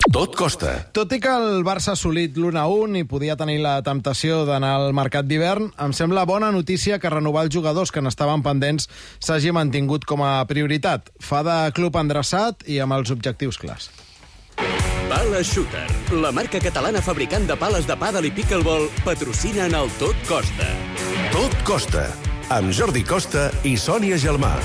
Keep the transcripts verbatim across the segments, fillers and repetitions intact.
Tot costa. Tot i que el Barça ha assolit l'u a u i podia tenir la temptació d'anar al mercat d'hivern, em sembla bona notícia que renovar els jugadors que n'estaven pendents s'hagi mantingut com a prioritat. Fa de club endreçat i amb els objectius clars. Pala Shooter, la marca catalana fabricant de pales de pàdel i pickleball, patrocina en el Tot Costa. Tot costa. Amb Jordi Costa i Sònia Gelmà.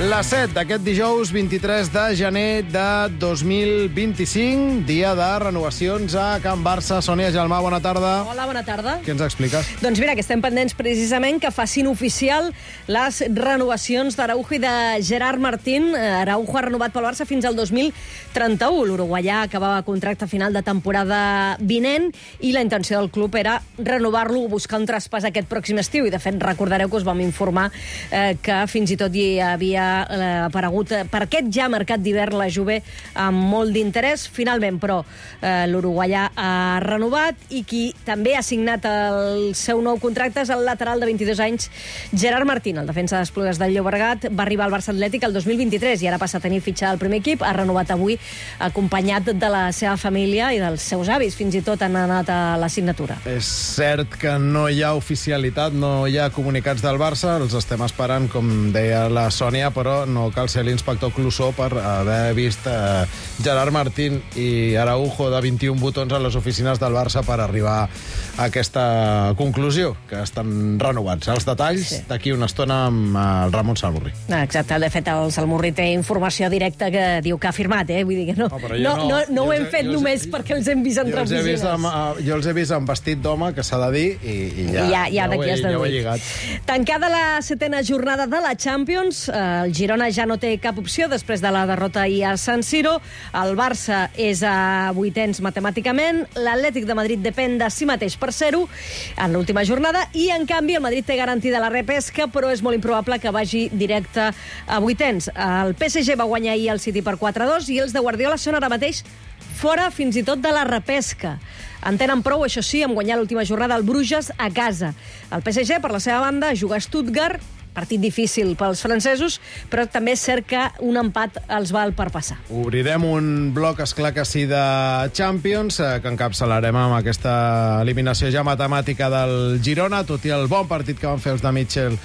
La set d'aquest dijous vint-i-tres de gener de dos mil vint-i-cinc, dia de renovacions a Can Barça. Sònia Gelmà, bona tarda. Hola, bona tarda. Què ens expliques? Doncs mira, que estem pendents precisament que facin oficial les renovacions d'Araujo i de Gerard Martín. Araujo ha renovat pel Barça fins al dos mil trenta-u. L'uruguaià acabava contracte final de temporada vinent i la intenció del club era renovar-lo o buscar un traspàs aquest pròxim estiu. I, de fet, recordareu que us vam informar eh, que fins i tot hi havia aparegut per aquest ja mercat d'hivern la Juve amb molt d'interès. Finalment, però, eh, l'uruguaià ha renovat i qui també ha signat el seu nou contracte és el lateral de vint-i-dos anys, Gerard Martín, el defensa d'Esplugues del Llobregat. Va arribar al Barça Atlètic el dos mil vint-i-tres i ara passa a tenir fitxa al primer equip. Ha renovat avui acompanyat de la seva família i dels seus avis. Fins i tot han anat a la signatura. És cert que no hi ha oficialitat, no hi ha comunicats del Barça. Els estem esperant, com deia la Sònia, però no cal ser l'inspector Clouseau per haver vist eh, Gerard Martín i Araujo de vint-i-un botons a les oficines del Barça per arribar a aquesta conclusió, que estan renovats. Els detalls sí. D'aquí una estona amb el Ramon Salmurri. Exacte, de fet el Salmurri té informació directa que diu que ha firmat, eh? Vull dir que no, no, no, no, no, no ho hem fet només perquè els hem vist entre oficines. Jo els he vist amb vestit d'home, que s'ha de dir, i, i ja, ja, ja, ja, ho he, ja ho he lligat. Tancada la setena jornada de la Champions, el Girona ja no té cap opció després de la derrota ahir a San Siro. El Barça és a vuitens matemàticament. L'Atlètic de Madrid depèn de si mateix per ser-ho en l'última jornada i, en canvi, el Madrid té garantida la repesca, però és molt improbable que vagi directe a vuitens. El P S G va guanyar ahir el City per quatre a dos i els de Guardiola són ara mateix fora fins i tot de la repesca. En tenen prou, això sí, amb guanyar l'última jornada al Bruges a casa. El P S G, per la seva banda, juga a Stuttgart, partit difícil pels francesos, però també és cert que un empat els val per passar. Obrirem un bloc, esclar que sí, de Champions, eh, que encapçalarem amb aquesta eliminació ja matemàtica del Girona, tot i el bon partit que van fer els de Mitchell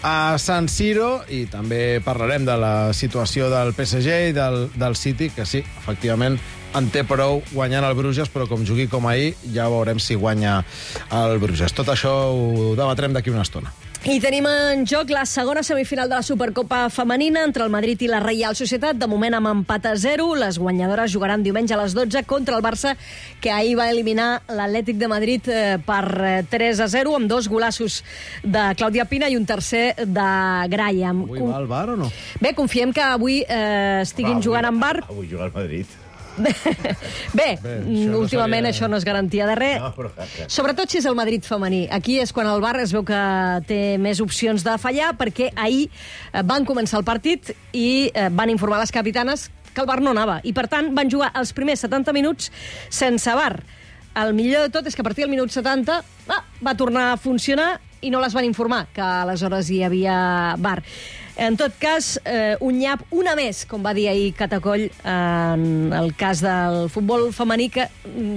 a San Siro, i també parlarem de la situació del P S G i del, del City, que sí, efectivament, en té prou guanyant el Bruges, però com jugui com ahir, ja veurem si guanya el Bruges. Tot això ho debatrem d'aquí una estona. I tenim en joc la segona semifinal de la Supercopa femenina entre el Madrid i la Reial Societat, de moment amb empat a zero. Les guanyadores jugaran diumenge a les dotze contra el Barça, que ahir va eliminar l'Atlètic de Madrid per tres a zero, amb dos golassos de Clàudia Pina i un tercer de Graham. Avui va al bar o no? Bé, confiem que avui eh, estiguin avui, jugant en bar. Avui juga al Madrid. Bé, Bé això últimament no això no és garantia de res. No, però... Sobretot si és el Madrid femení. Aquí és quan el Bar es veu que té més opcions de fallar, perquè ahir van començar el partit i van informar les capitanes que el Bar no anava. I, per tant, van jugar els primers setanta minuts sense Bar. El millor de tot és que a partir del minut setanta ah, va tornar a funcionar i no les van informar que aleshores hi havia Bar. En tot cas, eh, un nyap, una més, com va dir ahir Catacoll, en el cas del futbol femení, que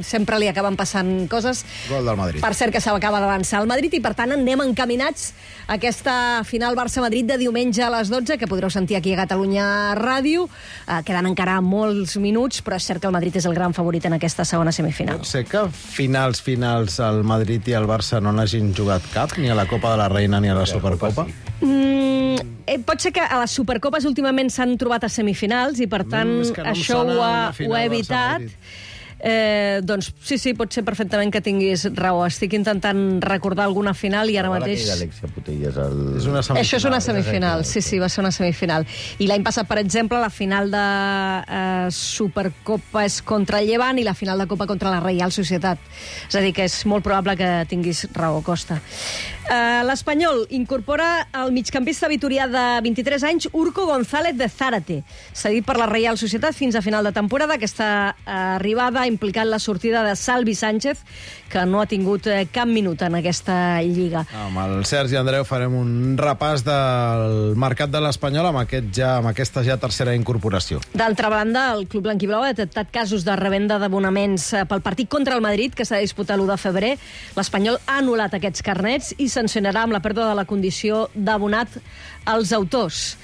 sempre li acaben passant coses. Gol del Madrid. Per cert que s'acaba d'avançar el Madrid i, per tant, anem encaminats a aquesta final Barça-Madrid de diumenge a les dotze, que podreu sentir aquí a Catalunya Ràdio. Eh, queden encara molts minuts, però és cert que el Madrid és el gran favorit en aquesta segona semifinal. Pot ser que finals, finals, el Madrid i el Barça no n'hagin jugat cap, ni a la Copa de la Reina ni a la Supercopa? Mm, eh, pot ser que a les Supercopes últimament s'han trobat a semifinals i, per tant, mm, no això ho ha, ho ha evitat. Eh, doncs sí, sí, pot ser perfectament que tinguis raó. Estic intentant recordar alguna final i ara mateix... Putellas, el... És una semifinal. Això és una semifinal, sí, sí, va ser una semifinal. I l'any passat, per exemple, la final de eh, Supercopa és contra el Llevant i la final de Copa contra la Reial Societat. És a dir, que és molt probable que tinguis raó, Costa. Uh, L'Espanyol incorpora el migcampista vitorià de vint-i-tres anys, Urko González de Zárate. Cedit per la Reial Societat fins a final de temporada. Aquesta arribada ha implicat la sortida de Salvi Sánchez, que no ha tingut cap minut en aquesta lliga. Amb el Sergi Andreu farem un repàs del mercat de l'Espanyol amb, aquest ja, amb aquesta ja tercera incorporació. D'altra banda, el club blanquiblau ha detectat casos de revenda d'abonaments pel partit contra el Madrid, que s'ha de disputar l'u de febrer. L'Espanyol ha anul·lat aquests carnets i sancionarà amb la pèrdua de la condició d'abonat als autors.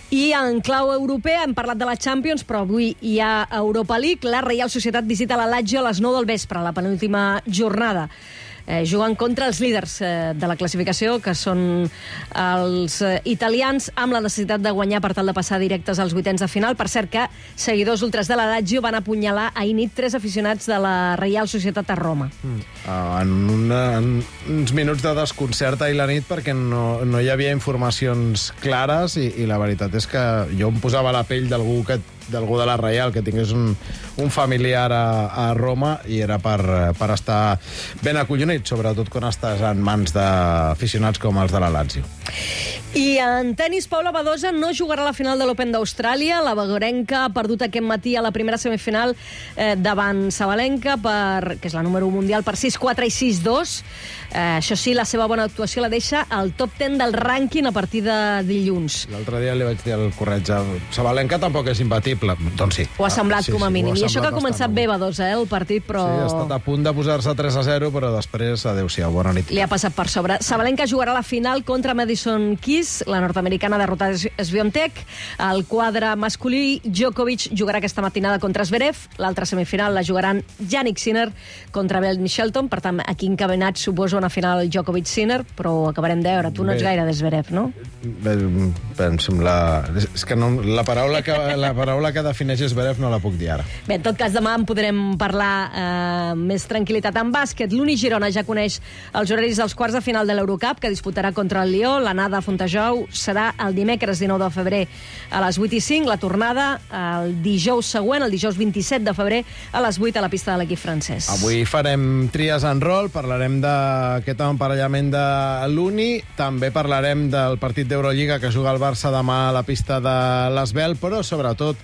I en clau europea hem parlat de la Champions, però avui hi ha Europa League. La Reial Societat visita la Lazio a les nou del vespre, la penúltima jornada. Eh, jugant contra els líders eh, de la classificació, que són els eh, italians, amb la necessitat de guanyar per tal de passar directes als vuitens de final. Per cert que seguidors ultras de la Lazio van apunyalar ahir nit tres aficionats de la Reial Societat a Roma. Mm. Uh, en, una, en uns minuts de desconcert ahir la nit, perquè no, no hi havia informacions clares i, i la veritat és que jo em posava la pell d'algú que d'algú de la Reial que tingués un, un familiar a, a Roma i era per, per estar ben acollonit, sobretot quan estàs en mans d'aficionats com els de la Lazio. I en tenis, Paula Badosa no jugarà a la final de l'Open d'Austràlia. La bagorenca ha perdut aquest matí a la primera semifinal eh, davant Sabalenka, per, que és la número un mundial, per sis quatre i sis dos. Eh, això sí, la seva bona actuació la deixa al top deu del rànquing a partir de dilluns. L'altre dia li vaig dir el corretge. Sabalenka tampoc és imbatible. Doncs sí. Ho ha semblat, ah, sí, com a sí, mínim. ha I això que ha començat bastant, bé, Badosa, eh, el partit, però... Sí, ha estat a punt de posar-se tres a zero, però després, adéu-siau, bona nit. Li ha passat per sobre. Sabalenka jugarà a la final contra Madison Keys, la nord-americana derrotada Swiatek. El quadre masculí, Djokovic jugarà aquesta matinada contra Zverev. L'altra semifinal la jugaran Jannik Sinner contra Ben Shelton. Per tant, aquí encadenat suposo una final Djokovic-Sinner, però acabarem de veure. Tu no ets gaire de Zverev, no? Bé, penso, la... és que no, la paraula que, la paraula que defineix Zverev no la puc dir ara. Bé, en tot cas, demà en podrem parlar eh, més tranquil·litat en bàsquet. L'Uni Girona ja coneix els horaris dels quarts de final de l'Eurocup, que disputarà contra el Lió. L'anada a Fontejou serà el dimecres dinou de febrer a les vuit i cinc. La tornada el dijous següent, el dijous vint-i-set de febrer, a les vuit a la pista de l'equip francès. Avui farem tries en rol, parlarem d'aquest emparellament de l'Uni, també parlarem del partit d'Eurolliga que juga el Barça demà a la pista de l'Esbel, però sobretot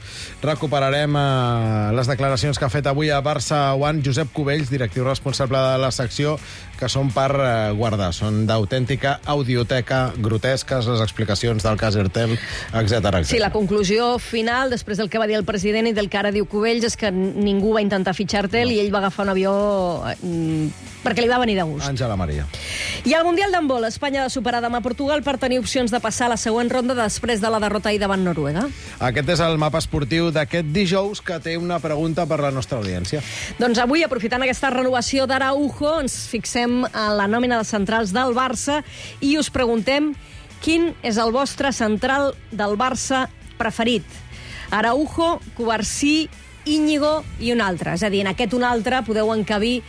recuperarem eh, les declaracions que ha fet avui a Barça One Josep Cubells, directiu responsable de la secció, que són per eh, guardar. Són d'autèntica audioteca, grotesques les explicacions del cas Ertel, etcètera. Sí, la conclusió final, després del que va dir el president i del que ara diu Cubells, és que ningú va intentar fitxar Ertel no. i ell va agafar un avió eh, perquè li va venir de gust. Àngela Maria. I al Mundial d'handbol, Espanya ha de superar demà Portugal per tenir opcions de passar a la següent ronda després de la derrota ahir davant Noruega. Aquest és el mapa esportiu d'aquest dijous, que té una pregunta per la nostra audiència. Doncs avui, aprofitant aquesta renovació d'Araujo, ens fixem en la nòmina de centrals del Barça i us preguntem quin és el vostre central del Barça preferit. Araujo, Cubarsí, Íñigo i un altre. És a dir, en aquest un altre podeu encabir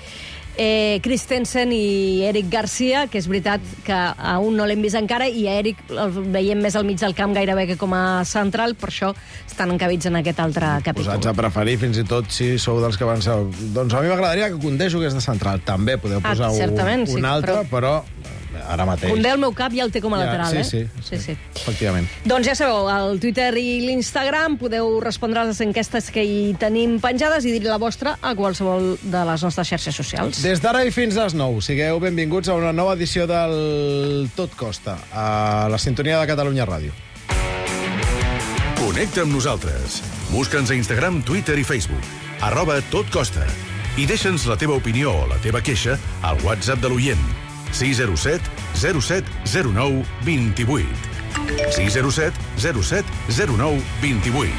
Eh, Christensen i Eric Garcia, que és veritat que a un no l'hem vist encara i a Eric el veiem més al mig del camp gairebé que com a central, per això estan encabits en aquest altre capítol. Posats a preferir, fins i tot si sou dels que van ser... Doncs a mi m'agradaria que Koundé jugués de central. També podeu posar ah, un, un sí, altre, però... però ara mateix... Koundé al meu cap ja el té com a ja, lateral, sí, eh? Sí, sí, sí, sí, efectivament. Doncs ja sabeu, al Twitter i l'Instagram podeu respondre a les enquestes que hi tenim penjades i dir la vostra a qualsevol de les nostres xarxes socials. Des d'ara i fins a les nou, sigueu benvinguts a una nova edició del Tot Costa, a la sintonia de Catalunya Ràdio. Connecta amb nosaltres. Busca'ns a Instagram, Twitter i Facebook. Arroba Tot Costa. I deixa'ns la teva opinió o la teva queixa al WhatsApp de l'oient. sis zero set zero set zero nou dos vuit. sis zero set zero set zero nou dos vuit.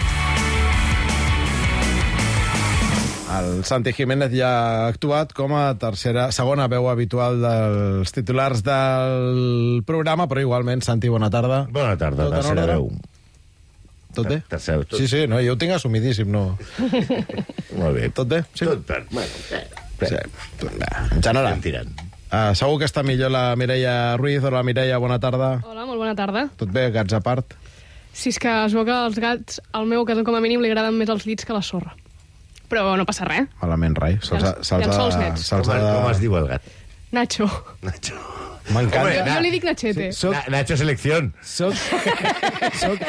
El Santi Jiménez ja ha actuat com a tercera, segona veu habitual dels titulars del programa, però igualment, Santi, bona tarda. Bona tarda, Tot tercera veu. Tot bé? Tercera, tot... Sí, sí, no, jo ho tinc assumidíssim, no. Molt bé. Tot bé? Sí. Tot bé. Bueno, bé. Sí. En general. Estem tirant. Uh, segur que està millor la Mireia Ruiz. Hola, Mireia, bona tarda. Hola, molt bona tarda. Tot bé, gats a part? Si és que es veu que als gats, al meu cas com a mínim, li agraden més els llits que la sorra. Però no passa res. Malament, rai. Se'ls ha, se'ls llençols ha, nets. se'ls Com, ha de... com es diu el gat? Nacho. Nacho. M'encanta. Jo li dic Nachete. Soc, Na- Nacho Selección. soc, soc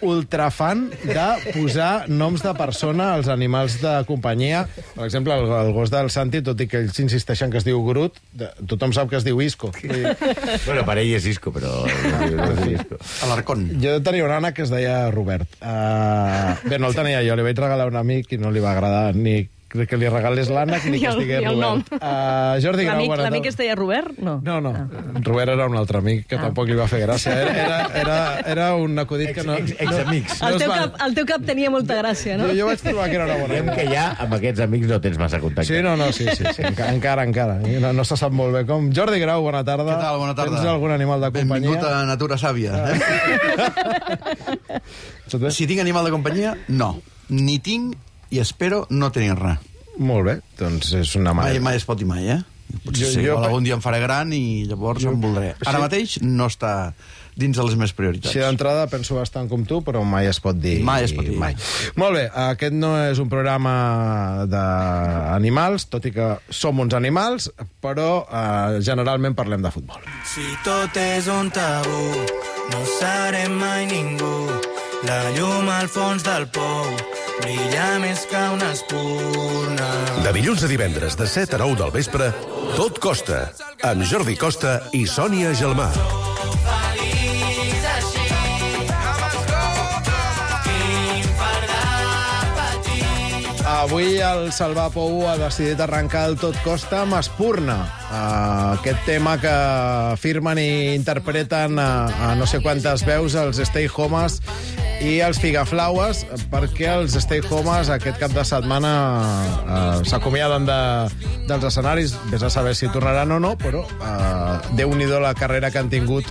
ultrafan de posar noms de persona als animals de companyia. Per exemple, el, el gos del Santi, tot i que ells insisteixen que es diu Groot, de, tothom sap que es diu Isco. Vull dir, Bueno, para ell és Isco, però... No és Isco. Alarcón. jo tenia un ànec que es deia Robert. Uh, bé, no el tenia jo, li vaig regalar a un amic i no li va agradar ni que li regalés l'ànec ni Ni que es el- digués ni el Robert. Uh, Jordi Grau, L'amic bona l'amic tarda. es deia Robert? No. No, no. Robert era un altre amic que tampoc li va fer gràcia. Era, era, era, era un acudit que no... Ex- ex- Examics. no El es teu, va- cap, el teu cap tenia molta gràcia, no? Jo, jo vaig trobar que era una bona Diguem idea. que ja amb aquests amics no tens massa contacte. Sí, no, no, sí, sí, sí. Enca- encara, encara. No, no se sap molt bé com. Jordi Grau, bona tarda. Què tal? Bona tarda. Tens algun animal de companyia? Benvingut a Natura Sàvia. Tot bé? Si tinc animal de companyia, no. Ni tinc i espero no tenir res. Molt bé, doncs és una Mai, manera. mai es pot dir mai, eh? Potser Jo- sí, jo- igual algun dia em faré gran i llavors em voldré. Ara mateix no està dins de les meves prioritats. Així d'entrada penso bastant com tu, però mai es pot dir. Mai es pot dir. Mai. Molt bé, aquest no és un programa d'animals, tot i que som uns animals, però eh, generalment parlem de futbol. Si tot és un tabú, no serem mai ningú. La llum al fons del pou brilla més que una espurna. De dilluns a divendres, de set a nou del vespre, Tot Costa, amb Jordi Costa i Sònia Gelmà. Feliç així, amb escolta, quin fardat petit. Avui el Salva Pou ha decidit arrencar el Tot Costa amb Espurna. Uh, aquest tema que firmen i interpreten a, a no sé quantes veus els Stay Homes i els Figaflaues, perquè els Stay Homes aquest cap de setmana uh, s'acomiaden de, dels escenaris. Vés a saber si tornaran o no, però uh, Déu-n'hi-do la carrera que han tingut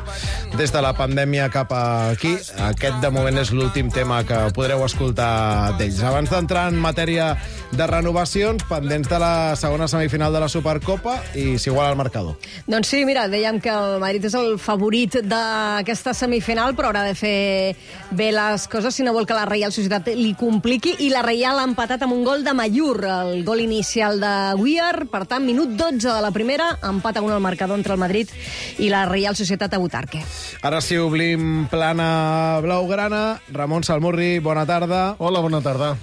des de la pandèmia cap aquí. Aquest, de moment, és l'últim tema que podreu escoltar d'ells. Abans d'entrar en matèria de renovacions, pendents de la segona semifinal de la Supercopa i s'iguala el marcador. Doncs sí, mira, dèiem que el Madrid és el favorit d'aquesta semifinal, però haurà de fer bé les coses si no vol que la Reial Societat li compliqui, i la Reial ha empatat amb un gol de Mayur, el gol inicial de Weir. Per tant, minut dotze de la primera, empat a un al marcador entre el Madrid i la Reial Societat a Butarque. Ara sí, oblim plana blaugrana. Ramon Salmurri, bona tarda. Hola, bona tarda.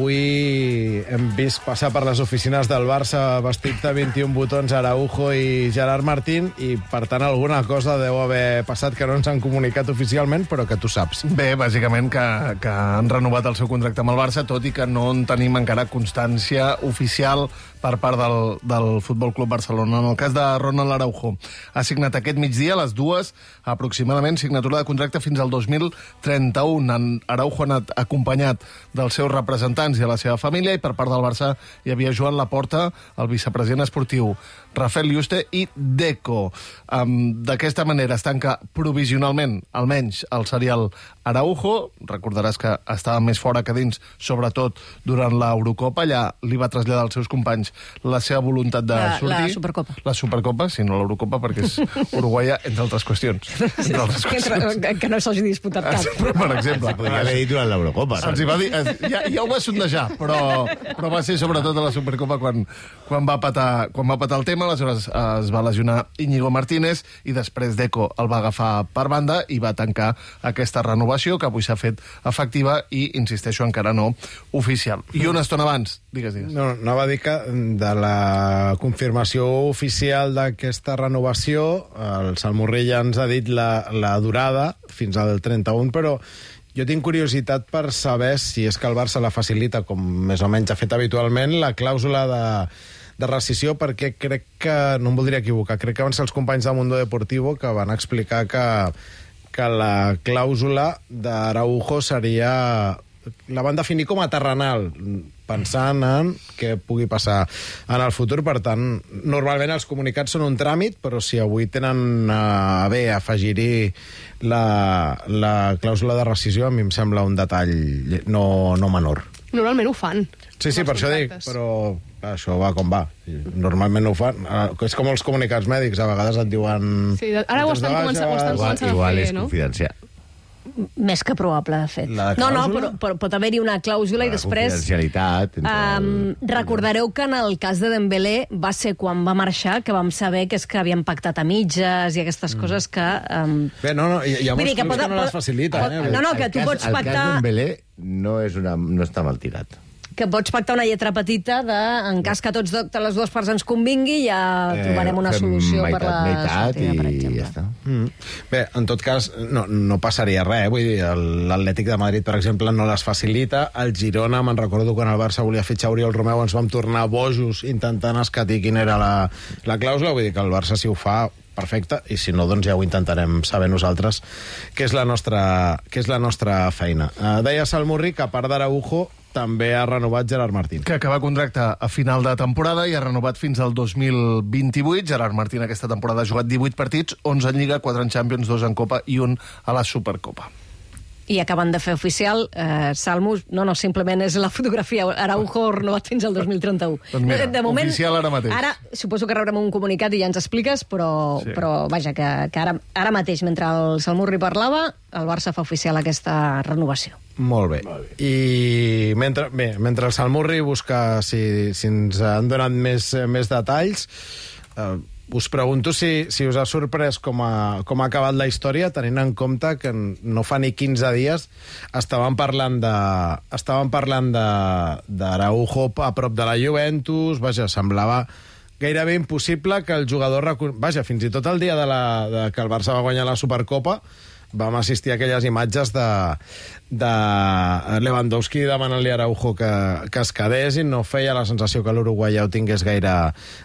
Avui hem vist passar per les oficines del Barça vestit de vint-i-un botons Araujo i Gerard Martín, i per tant alguna cosa deu haver passat que no ens han comunicat oficialment, però que tu saps. Bé, bàsicament que, que han renovat el seu contracte amb el Barça, tot i que no en tenim encara constància oficial per part del, del Futbol Club Barcelona. En el cas de Ronald Araujo, ha signat aquest migdia a les dues, aproximadament, signatura de contracte fins al dos mil trenta-u. En Araujo ha anat acompanyat dels seus representants i a la seva família, i per part del Barça hi havia Joan Laporta, el vicepresident esportiu, Rafael Yuste i Deco. Um, D'aquesta manera es tanca provisionalment, almenys, el serial Araujo. Recordaràs que estava més fora que dins, sobretot durant l'Eurocopa. Allà li va traslladar als seus companys la seva voluntat de La- sortir. la Supercopa. La Supercopa, sí, no l'Eurocopa, perquè és uruguaia, entre altres qüestions. Entre altres Que, qüestions. que, que no s'hagi disputat cap. Per exemple. Podria haver dit durant l'Eurocopa. Els hi va dir, es- ja, ja ho va sondejar, però, però va ser sobretot a la Supercopa quan, quan, va patar, quan va patar el tema. Aleshores es va lesionar Íñigo Martínez i després Deco el va agafar per banda i va tancar aquesta renovació, que avui s'ha fet efectiva i, insisteixo, encara no oficial. I una estona abans, digues, digues. No, no va dir que de la confirmació oficial d'aquesta renovació, el Salmurri ja ens ha dit la, la durada fins al trenta-un, però jo tinc curiositat per saber si és que el Barça la facilita, com més o menys ha fet habitualment, la clàusula de, de rescissió, perquè crec que, no em voldria equivocar, crec que van ser els companys de Mundo Deportivo que van explicar que, que la clàusula d'Araujo seria... la van definir com a terrenal, pensant en què pugui passar en el futur. Per tant, normalment els comunicats són un tràmit, però si avui tenen a bé afegir-hi la, la clàusula de rescissió, a mi em sembla un detall no, no menor. Normalment ho fan. Sí, sí, amb per els això dic, contractes. però clar, això va com va. Normalment no ho fan. Eh, És com els comunicats mèdics, a vegades et diuen... Sí, ara ho "Tens de estan baixa, començant- ho estan vas-" Igual, començant a igual fer, és no? confidencial. Més que probable, de fet. La no, no, clàusula? però, però pot haver-hi una clàusula i La després... confidencialitat. entre Um, el- recordareu que en el cas de Dembélé va ser quan va marxar que vam saber que és que havien pactat a mitges i aquestes coses que... Um... Bé, no, no, hi, hi ha Vull molts dir que clubs pot- que no les pot- faciliten. pot- Eh? no, no, que El tu cas- pots El pactar- cas Dembélé no, és una, no està mal tirat. que pots pactar una lletra petita de, en cas que tots de, les dues parts ens convingui, ja trobarem una fem solució meitat, per la meitat sortida, per i exemple. ja està. Mm. Bé, en tot cas, no, no passaria res. Vull dir, el- l'Atlètic de Madrid, per exemple, no les facilita. El Girona, me'n recordo quan el Barça volia fitxar Oriol Romeu, ens vam tornar bojos intentant escatir quina era la, la clàusula. Vull dir que el Barça, si ho fa, perfecte, i si no, doncs ja ho intentarem saber nosaltres, que és la nostra, que és la nostra feina. Uh, deia Salmurri que, a part d'Araujo, també ha renovat Gerard Martín. Que acaba contracte a final de temporada i ha renovat fins al dos mil vint-i-vuit. Gerard Martín aquesta temporada ha jugat divuit partits, onze en Lliga, quatre en Champions, dos en Copa i un a la Supercopa. I acaben de fer oficial, eh, Salmus, no, no, simplement és la fotografia, Araujo renovat fins al dos mil trenta-u. Doncs mira, oficial ara mateix. Ara, suposo que rebrem un comunicat i ja ens expliques, però, Sí. però vaja, que, que ara, ara mateix, mentre el Salmurri parlava, el Barça fa oficial aquesta renovació. Molt bé. I mentre, bé, mentre el Salmurri busca si, si ens han donat més, més detalls, eh, us pregunto si, si us ha sorprès com ha, com ha acabat la història, tenint en compte que no fa ni quinze dies estaven parlant de estaven parlant de d'Araujo a prop de la Juventus, vaja, semblava gairebé impossible que el jugador... Recon... Vaja, fins i tot el dia de, la, de que el Barça va guanyar la Supercopa vam assistir a aquelles imatges de, de Lewandowski demanant-li a Araujo que, que es quedés i no feia la sensació que l'uruguaià ho tingués gaire,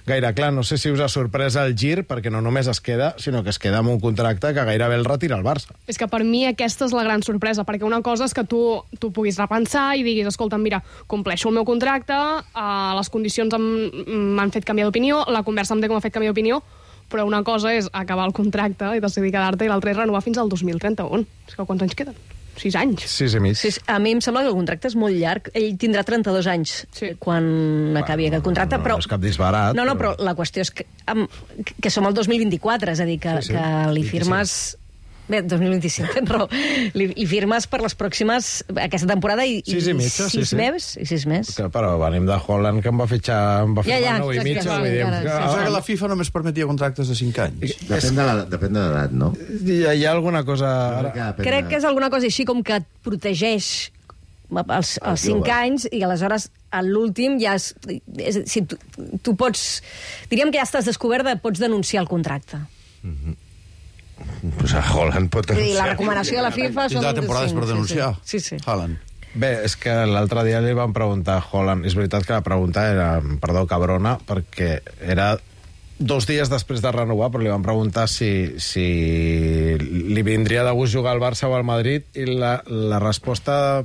gaire clar. No sé si us ha sorprès el gir, perquè no només es queda, sinó que es queda amb un contracte que gairebé el retira el Barça. És que per mi aquesta és la gran sorpresa, perquè una cosa és que tu, tu puguis repensar i diguis, escolta, mira, compleixo el meu contracte, uh, les condicions m'han fet canviar d'opinió, la conversa amb com m'ha fet canviar d'opinió, però una cosa és acabar el contracte i decidir quedar-te, i l'altra és renovar fins al dos mil trenta-u. És que quants anys queden? Sis anys. Sis i mig. Sí, a mi em sembla que el contracte és molt llarg. Ell tindrà trenta-dos anys Sí. quan acabi aquest contracte, no, però... no és cap disbarat, No, no, però- però la qüestió és que, am, que som al dos mil vint-i-quatre, és a dir, que, Sí, sí. que li firmes... Bé, dos mil vint-i-cinc, tens raó. Li, li firmes per les pròximes... Aquesta temporada i, Sis i mitja, sí, sis sí. més, i sis més. Que, però venim de Holland, que em va fitxar em va Ja, firmar ja, nou i exacte, mitja. sí, Vull dir, encara, que- sí. Pensava que la FIFA només permetia contractes de cinc anys. Depèn de la- depèn de l'edat, no? Hi ha, hi ha alguna cosa... Ara... Depèn Crec de- que és alguna cosa així com que et protegeix els, El els cinc jove. anys i aleshores a l'últim ja és, és, si tu, tu pots... Diríem que ja estàs descobert de pots denunciar el contracte. Pues a Holland pot Vull dir, la denunciar. recomanació de la FIFA són... Tindrà temporades cinc, per denunciar. Sí, sí. sí. Haaland. Bé, és que l'altre dia li van preguntar a Holland... És veritat que la pregunta era, perdó, cabrona, perquè era dos dies després de renovar, però li van preguntar si, si li vindria de gust jugar al Barça o al Madrid, i la, la resposta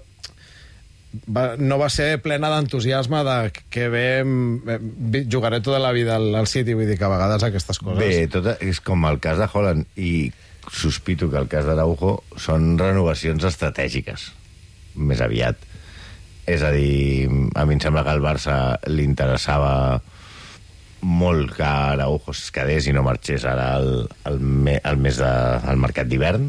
va, no va ser plena d'entusiasme de que bé, em- jugaré tota la vida al, al City, vull dir que a vegades aquestes coses... Bé, tot és com el cas de Holland, i sospito que el cas d'Araujo són renovacions estratègiques, més aviat. És a dir, a mi em sembla que al Barça li interessava molt que Araujo es quedés i no marxés ara al, al, me, al mes de, al mercat d'hivern,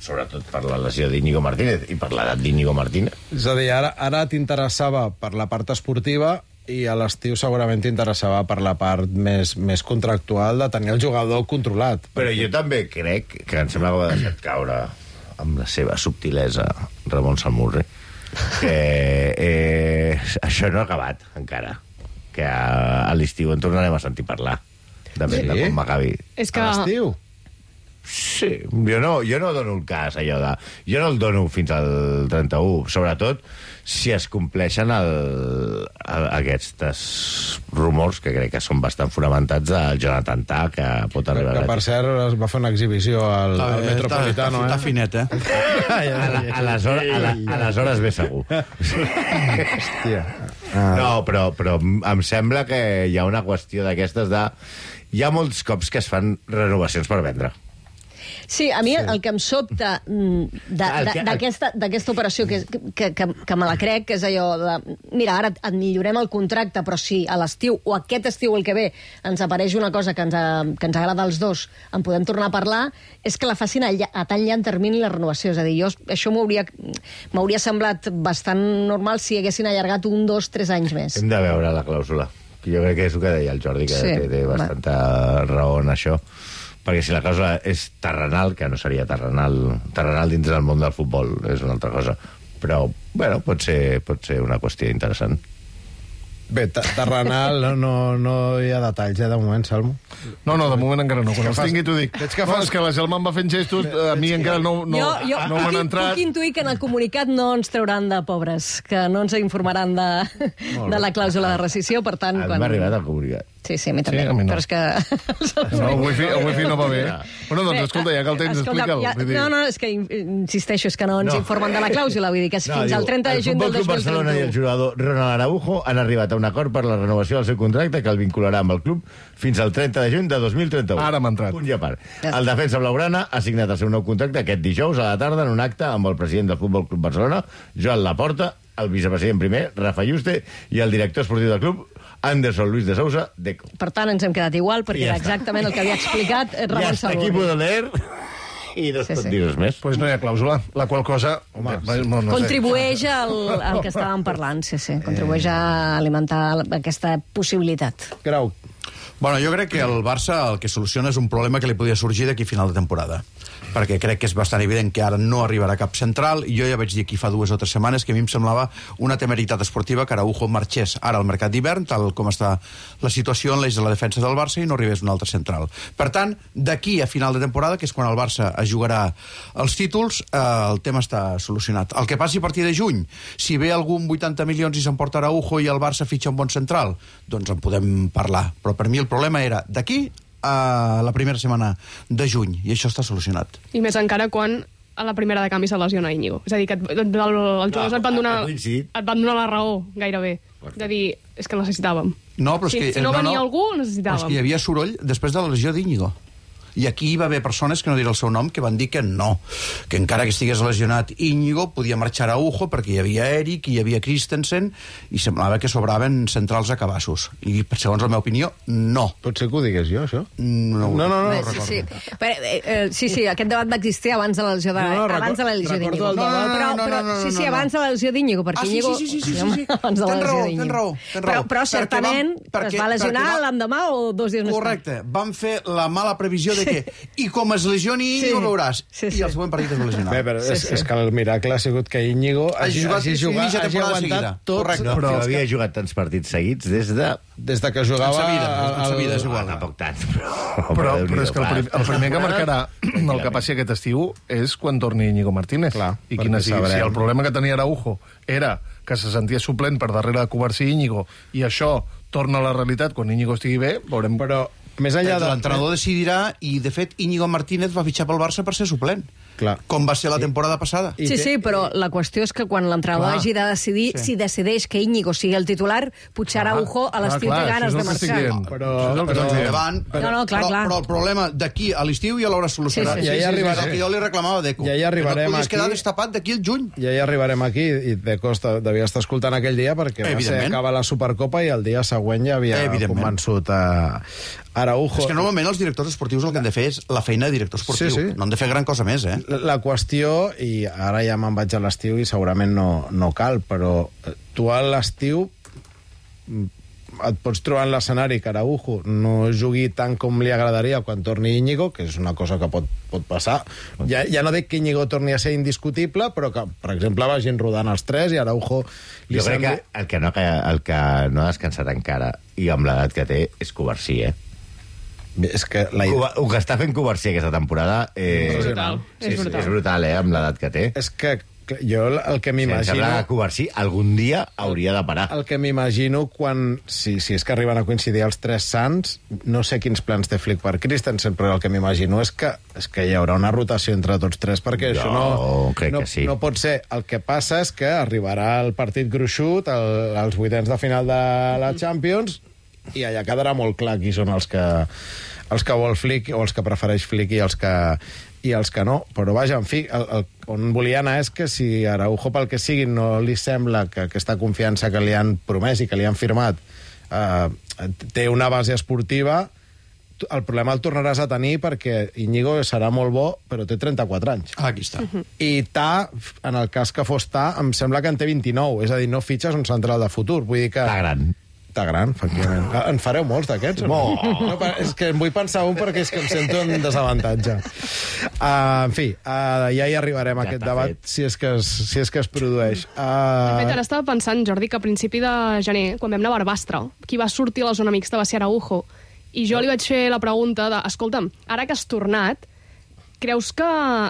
sobretot per la lesió d'Íñigo Martínez i per l'edat d'Íñigo Martínez. És a dir, ara, ara t'interessava per la part esportiva i a l'estiu segurament t'interessava per la part més, més contractual de tenir el jugador controlat. Però jo també crec que em sembla que ho ha deixat caure amb la seva subtilesa Ramon Salmurri, que eh, això no ha acabat encara, que a, a l'estiu en tornarem a sentir parlar de, Sí? de com acabi. És que... A l'estiu? Sí, jo no, jo no dono el cas, allò de... Jo no el dono fins al trenta-u, sobretot si es compleixen el, el, aquests rumors, que crec que són bastant fonamentats, del Jonathan Tah, que pot Que, arribar que per cert, es va fer una exhibició al, Està, al bé, Metropolitano, està, està eh? finet, eh? A la- aleshores, a la- aleshores ve segur. Hòstia. Ah. No, però, però em sembla que hi ha una qüestió d'aquestes de... Hi ha molts cops que es fan renovacions per vendre. Sí, a mi sí. el que em sobta d'aquesta operació, que, que, que, que me la crec, que és allò de... Mira, ara et millorem el contracte, però si a l'estiu, o aquest estiu el que ve, ens apareix una cosa que ens, que ens agrada als dos, en podem tornar a parlar, és que la facin a, a tan llarg termini la renovació. És a dir, jo, això m'hauria semblat bastant normal si haguessin allargat un, dos, tres anys més. Hem de veure la clàusula. Jo crec que és el que deia el Jordi, que sí, té, té bastanta va. raó en això, perquè si la clàusula és terrenal, que no seria terrenal, terrenal dins del món del futbol, és una altra cosa, però, bueno, pot ser, pot ser una qüestió interessant. Bé, terrenal no, no, no hi ha detalls, eh, de moment, Salmo. No, no, de moment encara no. Quan els tingui t'ho dic. Veig que fas... No, és que la Gelma em va fent gestos, a mi encara no, no, jo, jo no m'han entrat. Puc intuir que en el comunicat no ens trauran de pobres, que no ens informaran de, de la clàusula de rescissió, per tant... A mi quan... m'ha arribat el comunicat. Sí, sí, a mi també, sí, a mi no. Però és que... No, el wifi, el wifi no va bé. Bueno, doncs, escolta, ja que el tens, explica'l. Ja, no, no, és que insisteixo, és que no ens no. informen de la clàusula, vull dir que és no, fins diu, al trenta de juny del dos mil trenta-u. El Futbol Club Barcelona i el jugador Ronald Araujo han arribat a un acord per la renovació del seu contracte que el vincularà amb el club fins al trenta de juny de dos mil trenta-u. Ara m'ha entrat. Punt i a part. El defensa blaugrana ha signat el seu nou contracte aquest dijous a la tarda en un acte amb el president del Futbol Club Barcelona, Joan Laporta, el vicepresident primer, Rafa Yuste, i el director esportiu del club, Anderson Luis de Sousa, Deco. Per tant, ens hem quedat igual, perquè era exactament el que havia explicat Ramon Salvador. I hasta aquí puedo leer... I no es sí, pot sí. dir res més. Pues no hi ha clàusula, la qual cosa... Home, no, no contribueix sé. al, al que estàvem parlant, sí, sí. Contribueix a alimentar aquesta possibilitat. Grau. Bueno, jo crec que el Barça el que soluciona és un problema que li podia sorgir d'aquí a final de temporada, perquè crec que és bastant evident que ara no arribarà cap central, i jo ja vaig dir aquí fa dues o tres setmanes que a mi em semblava una temeritat esportiva que Araujo marxés ara al mercat d'hivern, tal com està la situació en l'eix de la defensa del Barça, i no arribés un altre central. Per tant, d'aquí a final de temporada, que és quan el Barça es jugarà els títols, eh, el tema està solucionat. El que passi a partir de juny, si ve algun vuitanta milions i s'emporta Araujo i el Barça fitxa un bon central, doncs en podem parlar. Però per mi el problema era d'aquí a la primera setmana de juny, i això està solucionat. I més encara quan a la primera de canvi se lesiona Íñigo. És a dir, que et, el, els jugadors et van donar, et van donar la raó, gairebé. De dir, és que el necessitàvem. No, però és si, que, si no no, venia no, algú, el necessitàvem. Però és que hi havia soroll després de la lesió d'Íñigo. I aquí hi va haver persones, que no diré el seu nom, que van dir que no, que encara que estigués lesionat Íñigo, podia marxar a Araujo perquè hi havia Eric, hi havia Christensen, i semblava que sobraven centrals a cabassos. I, segons la meva opinió, no. Potser que ho digués jo, això? No, no, no, no, Bé, sí, sí. Però, eh, eh, sí, sí, aquest debat va existir abans de la lesió de, no, no, abans de la lesió d'Íñigo. No, no, no, però, no, però, no, no, sí, sí, abans de la lesió d'Íñigo, perquè ah, sí, Íñigo... sí, sí, sí, sí, sí. Abans de la ten lesió raó, d'Íñigo. ten raó, ten raó. Però, però certament perquè, es va lesionar va... l'endemà o dos dies més tard. Correcte, van fer la mala previsió de que... I com es lesioni Íñigo, sí. veuràs. Sí, sí. I el següent partit es va lesionar. Bé, però sí, és, sí. és que el miracle ha sigut que Íñigo hagi, jugat, hagi, jugat, hagi aguantat tots... Correcte. Però havia que... jugat tants partits seguits des de... Des de que jugava... En sa vida, en sa vida, és igual. Ah, tampoc tant, però... Però, però és que el, prim, el primer que marcarà el que passi aquest estiu és quan torni Íñigo Martínez. Clar, I quina sigui. Si el problema que tenia Araujo era que se sentia suplent per darrere de Covarsí i Íñigo, i això torna a la realitat quan Íñigo estigui bé, veurem... Però més enllà de... L'entrenador decidirà, i de fet Íñigo Martínez va fitxar pel Barça per ser suplent. Clar. Com va ser la temporada passada. Sí, sí, però la qüestió és que quan l'entrenador hagi de decidir, sí. si decideix que Íñigo sigui el titular, potser Araujo a l'estiu té ganes de marxar. Però, però, però, davant, però, no, no, clar, però, clar. però el problema d'aquí a l'estiu ja l'haurà solucionat. Sí, sí, sí, ja hi arribarem. És el que jo li reclamava a Deco. Ja hi arribarem no aquí. quedar destapat d'aquí al juny. Ja hi arribarem aquí, i Deco devia estar escoltant aquell dia perquè va ser acabar la Supercopa i el dia següent ja havia convençut a Araujo. És que normalment els directors esportius el que han de fer és la feina de director esportiu. Sí, sí. No han de fer gran cosa més, eh? La, la qüestió, i ara ja me'n vaig a l'estiu i segurament no, no cal, però tu a l'estiu et pots trobar en l'escenari que Araujo no jugui tant com li agradaria quan torni Íñigo, que és una cosa que pot, pot passar. Ja, ja no dic que Íñigo torni a ser indiscutible, però que, per exemple, vagin rodant els tres i Araujo... Li jo crec sembli... que el que, no, el que no ha descansat encara, i amb l'edat que té, és Covarsí, eh? És que la... El que està fent Covarsí aquesta temporada eh... és brutal. Sí, és brutal. És brutal, eh, amb l'edat que té. És que jo el que m'imagino... Si em sembla que Covarsí algun dia hauria de parar. El que m'imagino quan... Si, si és que arriben a coincidir els tres sants, no sé quins plans té Flick per Christensen, però el que m'imagino és que, és que hi haurà una rotació entre tots tres, perquè jo això no, crec no, que sí. no pot ser. El que passa és que arribarà el partit gruixut, el, els vuitens de final de la Champions, i allà quedarà molt clar qui són els que... els que vol Flick o els que prefereix Flick i els que i els que no. Però vaja, en fi, el, el, on volia anar és que si Araujo, pel que sigui, no li sembla que aquesta confiança que li han promès i que li han firmat eh, té una base esportiva, el problema el tornaràs a tenir perquè Íñigo serà molt bo, però té trenta-quatre anys. Ah, aquí està. Uh-huh. I Ta, en el cas que fos Ta, em sembla que en té vint-i-nou, és a dir, no fitxes un central de futur. Vull dir que... Està gran. Està gran, efectivament. En fareu molts d'aquests? No. no, és que em vull pensar un perquè és que em sento en desavantatge. Uh, en fi, uh, ja hi arribarem a ja aquest debat, si és, que es, si és que es produeix. Uh... De fet, ara estava pensant, Jordi, que a principi de gener, quan vam anar a Barbastre, qui va sortir a la zona mixta va ser Araujo, i jo li vaig fer la pregunta de, escolta'm, ara que has tornat, creus que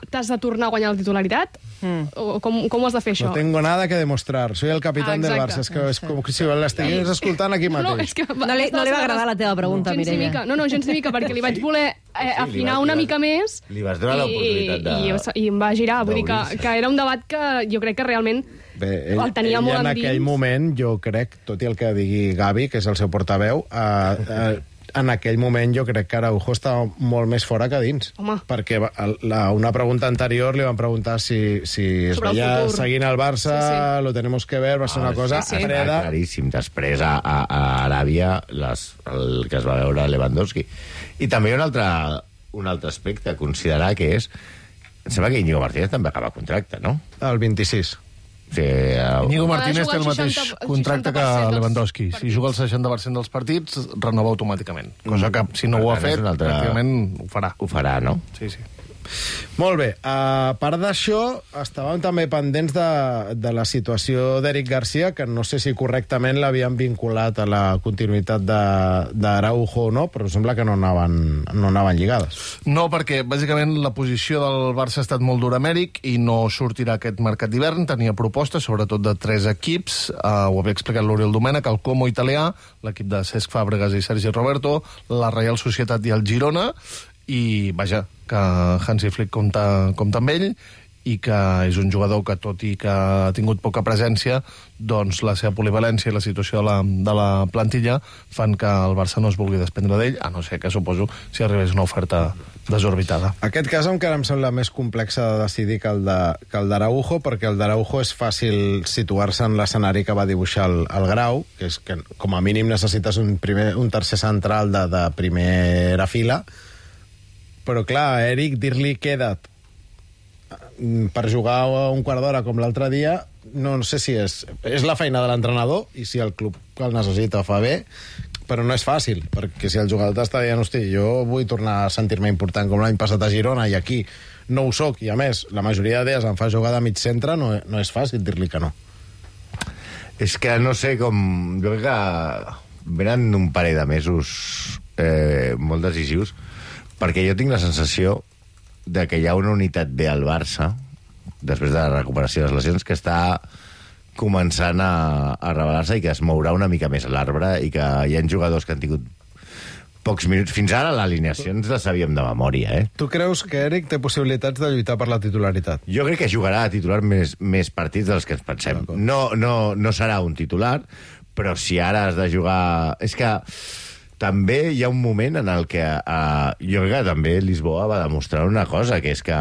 t'has de tornar a guanyar la titularitat? Mm. O com, com ho has de fer, això? No tengo nada que demostrar. Soy el capitán ah, del Barça. És que és com si l'estigués escoltant aquí mateix. No, no, és que no, li, no li va agradar la teva pregunta, gens Mireia. Mica. No, no, gens ni mica, perquè li vaig voler eh, sí, afinar vas, una vas, mica més. Li vas donar l'oportunitat de... I, i em va girar. Vull dir que, que era un debat que jo crec que realment Bé, ell, el tenia ell molt en endins. aquell moment, jo crec, tot i el que digui Gavi, que és el seu portaveu, eh, eh, en aquell moment jo crec que Araujo estava molt més fora que dins. Home. Perquè la, una pregunta anterior li van preguntar si, si es sobre veia el futur. seguint el Barça, sí, sí. Lo tenemos que ver, va ser una Ah, cosa sí, sí. freda. Claríssim. Després a, a, a Aràbia les, el que es va veure Lewandowski. I també hi ha un altre, un altre aspecte a considerar, que és... Em sembla que Íñigo Martínez també acaba contracte, no? El vint-i-sis. Sí, el... Íñigo Ha Martínez té el jugat mateix seixanta contracte que dels Lewandowski. Si partits. juga el seixanta per cent dels partits, renova automàticament. Cosa que, si no ho ha Per tant, és fet, un altre- pràcticament ho farà. Ho farà, no? Sí, sí. Molt bé, a part d'això, estàvem també pendents de, de la situació d'Eric Garcia, que no sé si correctament l'havien vinculat a la continuïtat d'Araujo o no, però sembla que no anaven, no anaven lligades. No, perquè bàsicament la posició del Barça ha estat molt dura amb Eric i no sortirà aquest mercat d'hivern. Tenia propostes, sobretot de tres equips. Uh, ho havia explicat l'Oriol Domènech, el Como italià, l'equip de Cesc Fàbregas i Sergi Roberto, la Reial Societat i el Girona, i vaja, que Hansi Flick compta, compta amb ell i que és un jugador que, tot i que ha tingut poca presència, doncs la seva polivalència i la situació de la, de la plantilla fan que el Barça no es vulgui desprendre d'ell, a no ser que, suposo, si arribés una oferta desorbitada. Aquest cas encara em sembla més complex de decidir que el de, que el d'Araujo, perquè el d'Araujo és fàcil situar-se en l'escenari que va dibuixar el, el Grau, que és que com a mínim necessites un, primer, un tercer central de, de primera fila, però clar, a Eric dir-li queda't per jugar un quart d'hora com l'altre dia, no, no sé si és... És la feina de l'entrenador, i si el club que el necessita fa bé, però no és fàcil, perquè si el jugador t'està dient, hosti, jo vull tornar a sentir-me important com l'any passat a Girona, i aquí no ho soc, i a més, la majoria de dies em fa jugar de mig centre, no, no és fàcil dir-li que no. És que no sé com... Jo crec que venen un parell de mesos eh, molt decisius, perquè jo tinc la sensació de que hi ha una unitat bé al Barça, després de la recuperació de les lesions, que està començant a, a revelar-se i que es mourà una mica més a l'arbre, i que hi ha jugadors que han tingut pocs minuts. Fins ara l'alineació ens la sabíem de memòria, eh? Tu creus que Eric té possibilitats de lluitar per la titularitat? Jo crec que jugarà a titular més, més partits dels que ens pensem. No, no, no serà un titular, però si ara has de jugar... És que també hi ha un moment en el que uh, jo crec que també Lisboa va demostrar una cosa, que és que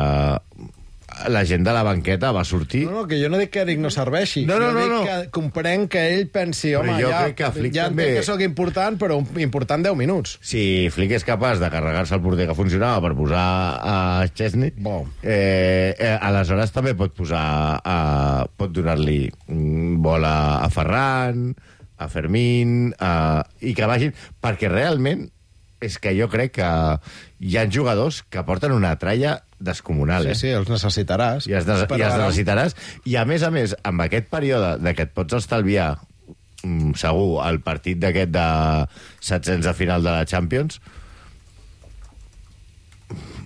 la gent de la banqueta va sortir... No, no, que jo no dic que Eric no serveixi. No, no, jo no, dic no. que comprenc que ell pensi, home, jo ja, crec que Flick ja també... entenc que sóc important, però important deu minuts. Si Flick és capaç de carregar-se el porter que funcionava per posar a Chesney, Bon. eh, eh, aleshores també pot posar... A, pot donar-li bola a Ferran, a Fermín, a, i que vagin... Perquè realment és que jo crec que hi ha jugadors que porten una tralla descomunal, Sí, eh? sí, els necessitaràs. I els, ne Però i els ara- necessitaràs. I a més a més, amb aquest període de que et pots estalviar mm, segur el partit d'aquest de setzents de final de la Champions,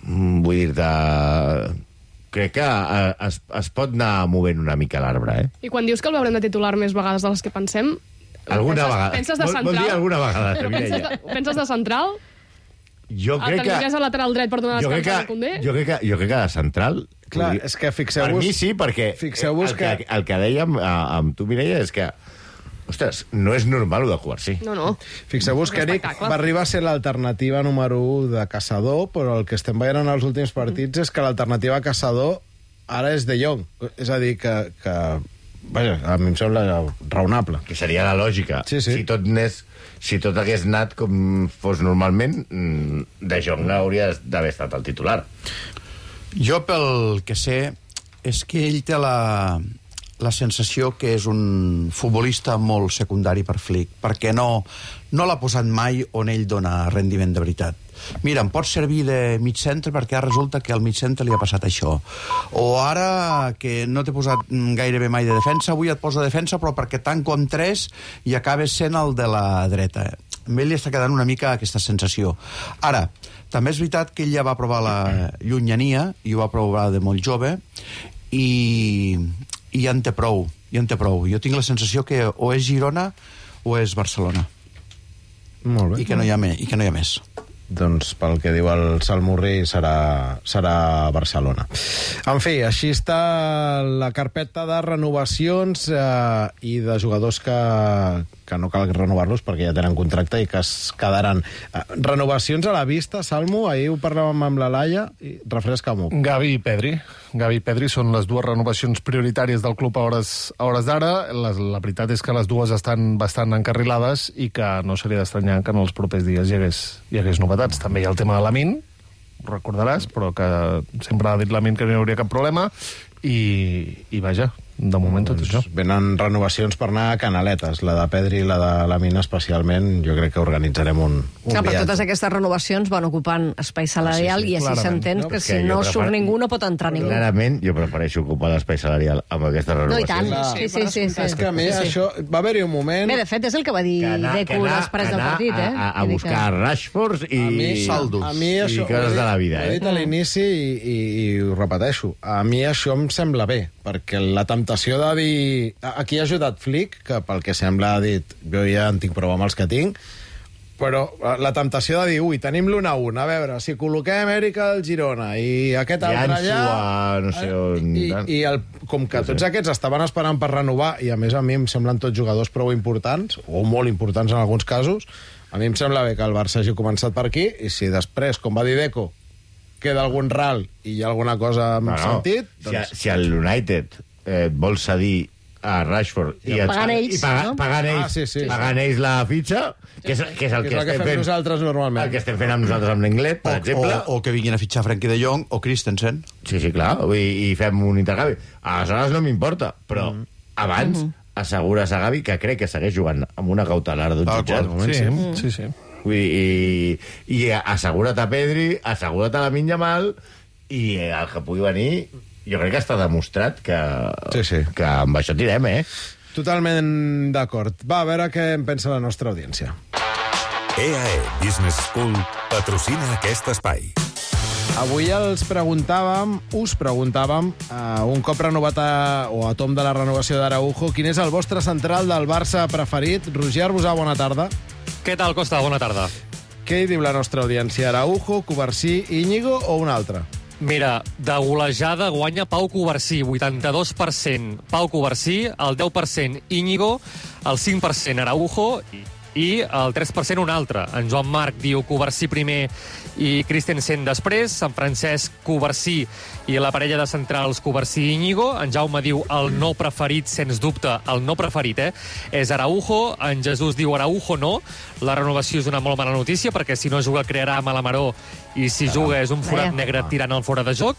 mm, vull dir-te... Crec que eh, es, es pot anar movent una mica l'arbre, eh? I quan dius que el veurem de titular més vegades de les que pensem... Alguna penses, vegada. Penses de Vol- central? vol dir alguna vegada, Però Mireia. penses de, penses de central? Jo El crec que... teniries a lateral dret per donar Jo crec descans a que, Koundé? jo crec que, jo crec que de central... Clar, podria- és que Per fixeu-vos... mi sí, perquè Fixeu-vos el que, que- el que dèiem a, amb tu, Mireia, és que ostres, no és normal, ho de Cubarsí. No, no. Fixeu-vos que Eric va arribar a ser l'alternativa número u de Caçador, però el que estem veient en els últims partits és que l'alternativa a Caçador ara és De Jong. És a dir, que... que vaja, a mi em sembla raonable. Que seria la lògica. Sí, sí. Si tot n'és, si tot hagués anat com fos normalment, De Jong hauria d'haver estat el titular. Jo, pel que sé, és que ell té la, la sensació que és un futbolista molt secundari per Flick, perquè no, no l'ha posat mai on ell dona rendiment de veritat. Mira, em pot servir de mig centre perquè ara resulta que al mig centre li ha passat això. O ara que no t'he posat gairebé mai de defensa, avui et poso de defensa, però perquè tanco amb tres i acabes sent el de la dreta. A ell li està quedant una mica aquesta sensació. Ara, també és veritat que ell ja va provar la llunyania, i ho va provar de molt jove, i, i ja en té prou, ja en té prou. Jo tinc la sensació que o és Girona o és Barcelona. Molt bé. I que no hi ha, me, i que no hi ha més. Doncs pel que diu el Salmurri serà, serà Barcelona. En fi, així està la carpeta de renovacions eh, i de jugadors que, que no cal renovar-los perquè ja tenen contracte i que es quedaran. Eh, renovacions a la vista, Salmo, ahir ho parlàvem amb la Laia, i refresca-m'ho. Gavi i Pedri. Gavi i Pedri són les dues renovacions prioritàries del club a hores, a hores d'ara. La, la veritat és que les dues estan bastant encarrilades i que no seria d'estranyar que en els propers dies hi hagués, hi hagués novetats. També hi ha el tema de Lamin, ho recordaràs, però que sempre ha dit Lamin que no hi hauria cap problema i, i vaja, de moment tot això. Venen renovacions per anar a Canaletes, la de Pedri i la de Lamin especialment. Jo crec que organitzarem un, un Clar, però viatge. totes aquestes renovacions van ocupant espai salarial, sí, sí, i així clarament. s'entén No, que és si que no jo surt prefer- ningú no pot entrar ningú. Clarament, jo prefereixo ocupar l'espai salarial amb aquestes No, i renovacions. tant. Sí, sí, sí, sí. És que a mi Sí, sí. això... Va haver-hi un moment... Bé, de fet, és el que va dir Deco després del partit, eh? a, a Vull dir buscar que- Rashfords i a mi, saldos. a mi això, i coses de la vida, ho he eh? dit a l'inici i, i, i ho repeteixo. A mi això em sembla bé, perquè la temptació de dir... Aquí ha ajudat Flick, que pel que sembla ha dit jo ja en tinc prou amb els que tinc, però la temptació de dir, ui, tenim l'un a un, a veure, si col·loquem Eric al Girona i aquest I altre Ansu allà... a no sé on... I, i el, com que tots aquests estaven esperant per renovar, i a més a mi em semblen tots jugadors prou importants, o molt importants en alguns casos, a mi em sembla bé que el Barça hagi començat per aquí, i si després, com va dir Deco, queda algun ral i hi ha alguna cosa amb No, no. sentit... Si, si el United eh, vol cedir a Rashford i, et- Pagant ells, i paga, no? pagant ells, Ah, sí, sí, pagant ells la fitxa, que és, que és el que que, és el que estem fem fent nosaltres normalment. el que estem fent amb nosaltres amb l'Inglet, per O, exemple. o, o que vinguin a fitxar Frenkie de Jong o Christensen. Sí, sí, clar, i, i fem un intercanvi. Aleshores no m'importa, però Mm. abans assegures a Gavi, que crec que segueix jugant amb una cautelar d'un Tal jutjat. qual, Sí, sí, sí. Vull dir, i, i assegura't a Pedri, assegura't a Lamine Yamal, i el que pugui venir, jo crec que està demostrat que, Sí, sí. que amb això tirem, eh? Totalment d'acord. Va, a veure què en pensa la nostra audiència. E A E Business School patrocina aquest espai. Avui els preguntàvem, us preguntàvem, uh, un cop renovat a, o a tom de la renovació d'Araujo, quin és el vostre central del Barça preferit? Roger Arbusà, bona tarda. Què tal, Costa? Bona tarda. Què hi diu la nostra audiència? Araujo, Cubarsí, Íñigo o un altre? Mira, de golejada guanya Pau Cubarsí, vuitanta-dos per cent. Pau Cubarsí, el deu per cent Íñigo, el cinc per cent Araujo i el tres per cent un altre. En Joan Marc diu Cubarsí primer i Christensen després, en Francesc Cubarsí i la parella de centrals Cubarsí i Íñigo. En Jaume diu el no preferit, sens dubte, el no preferit, eh? És Araujo. En Jesús diu Araujo no. La renovació és una molt mala notícia perquè si no juga crearà malamaró i si juga és un forat Vaja. negre tirant al fora de joc.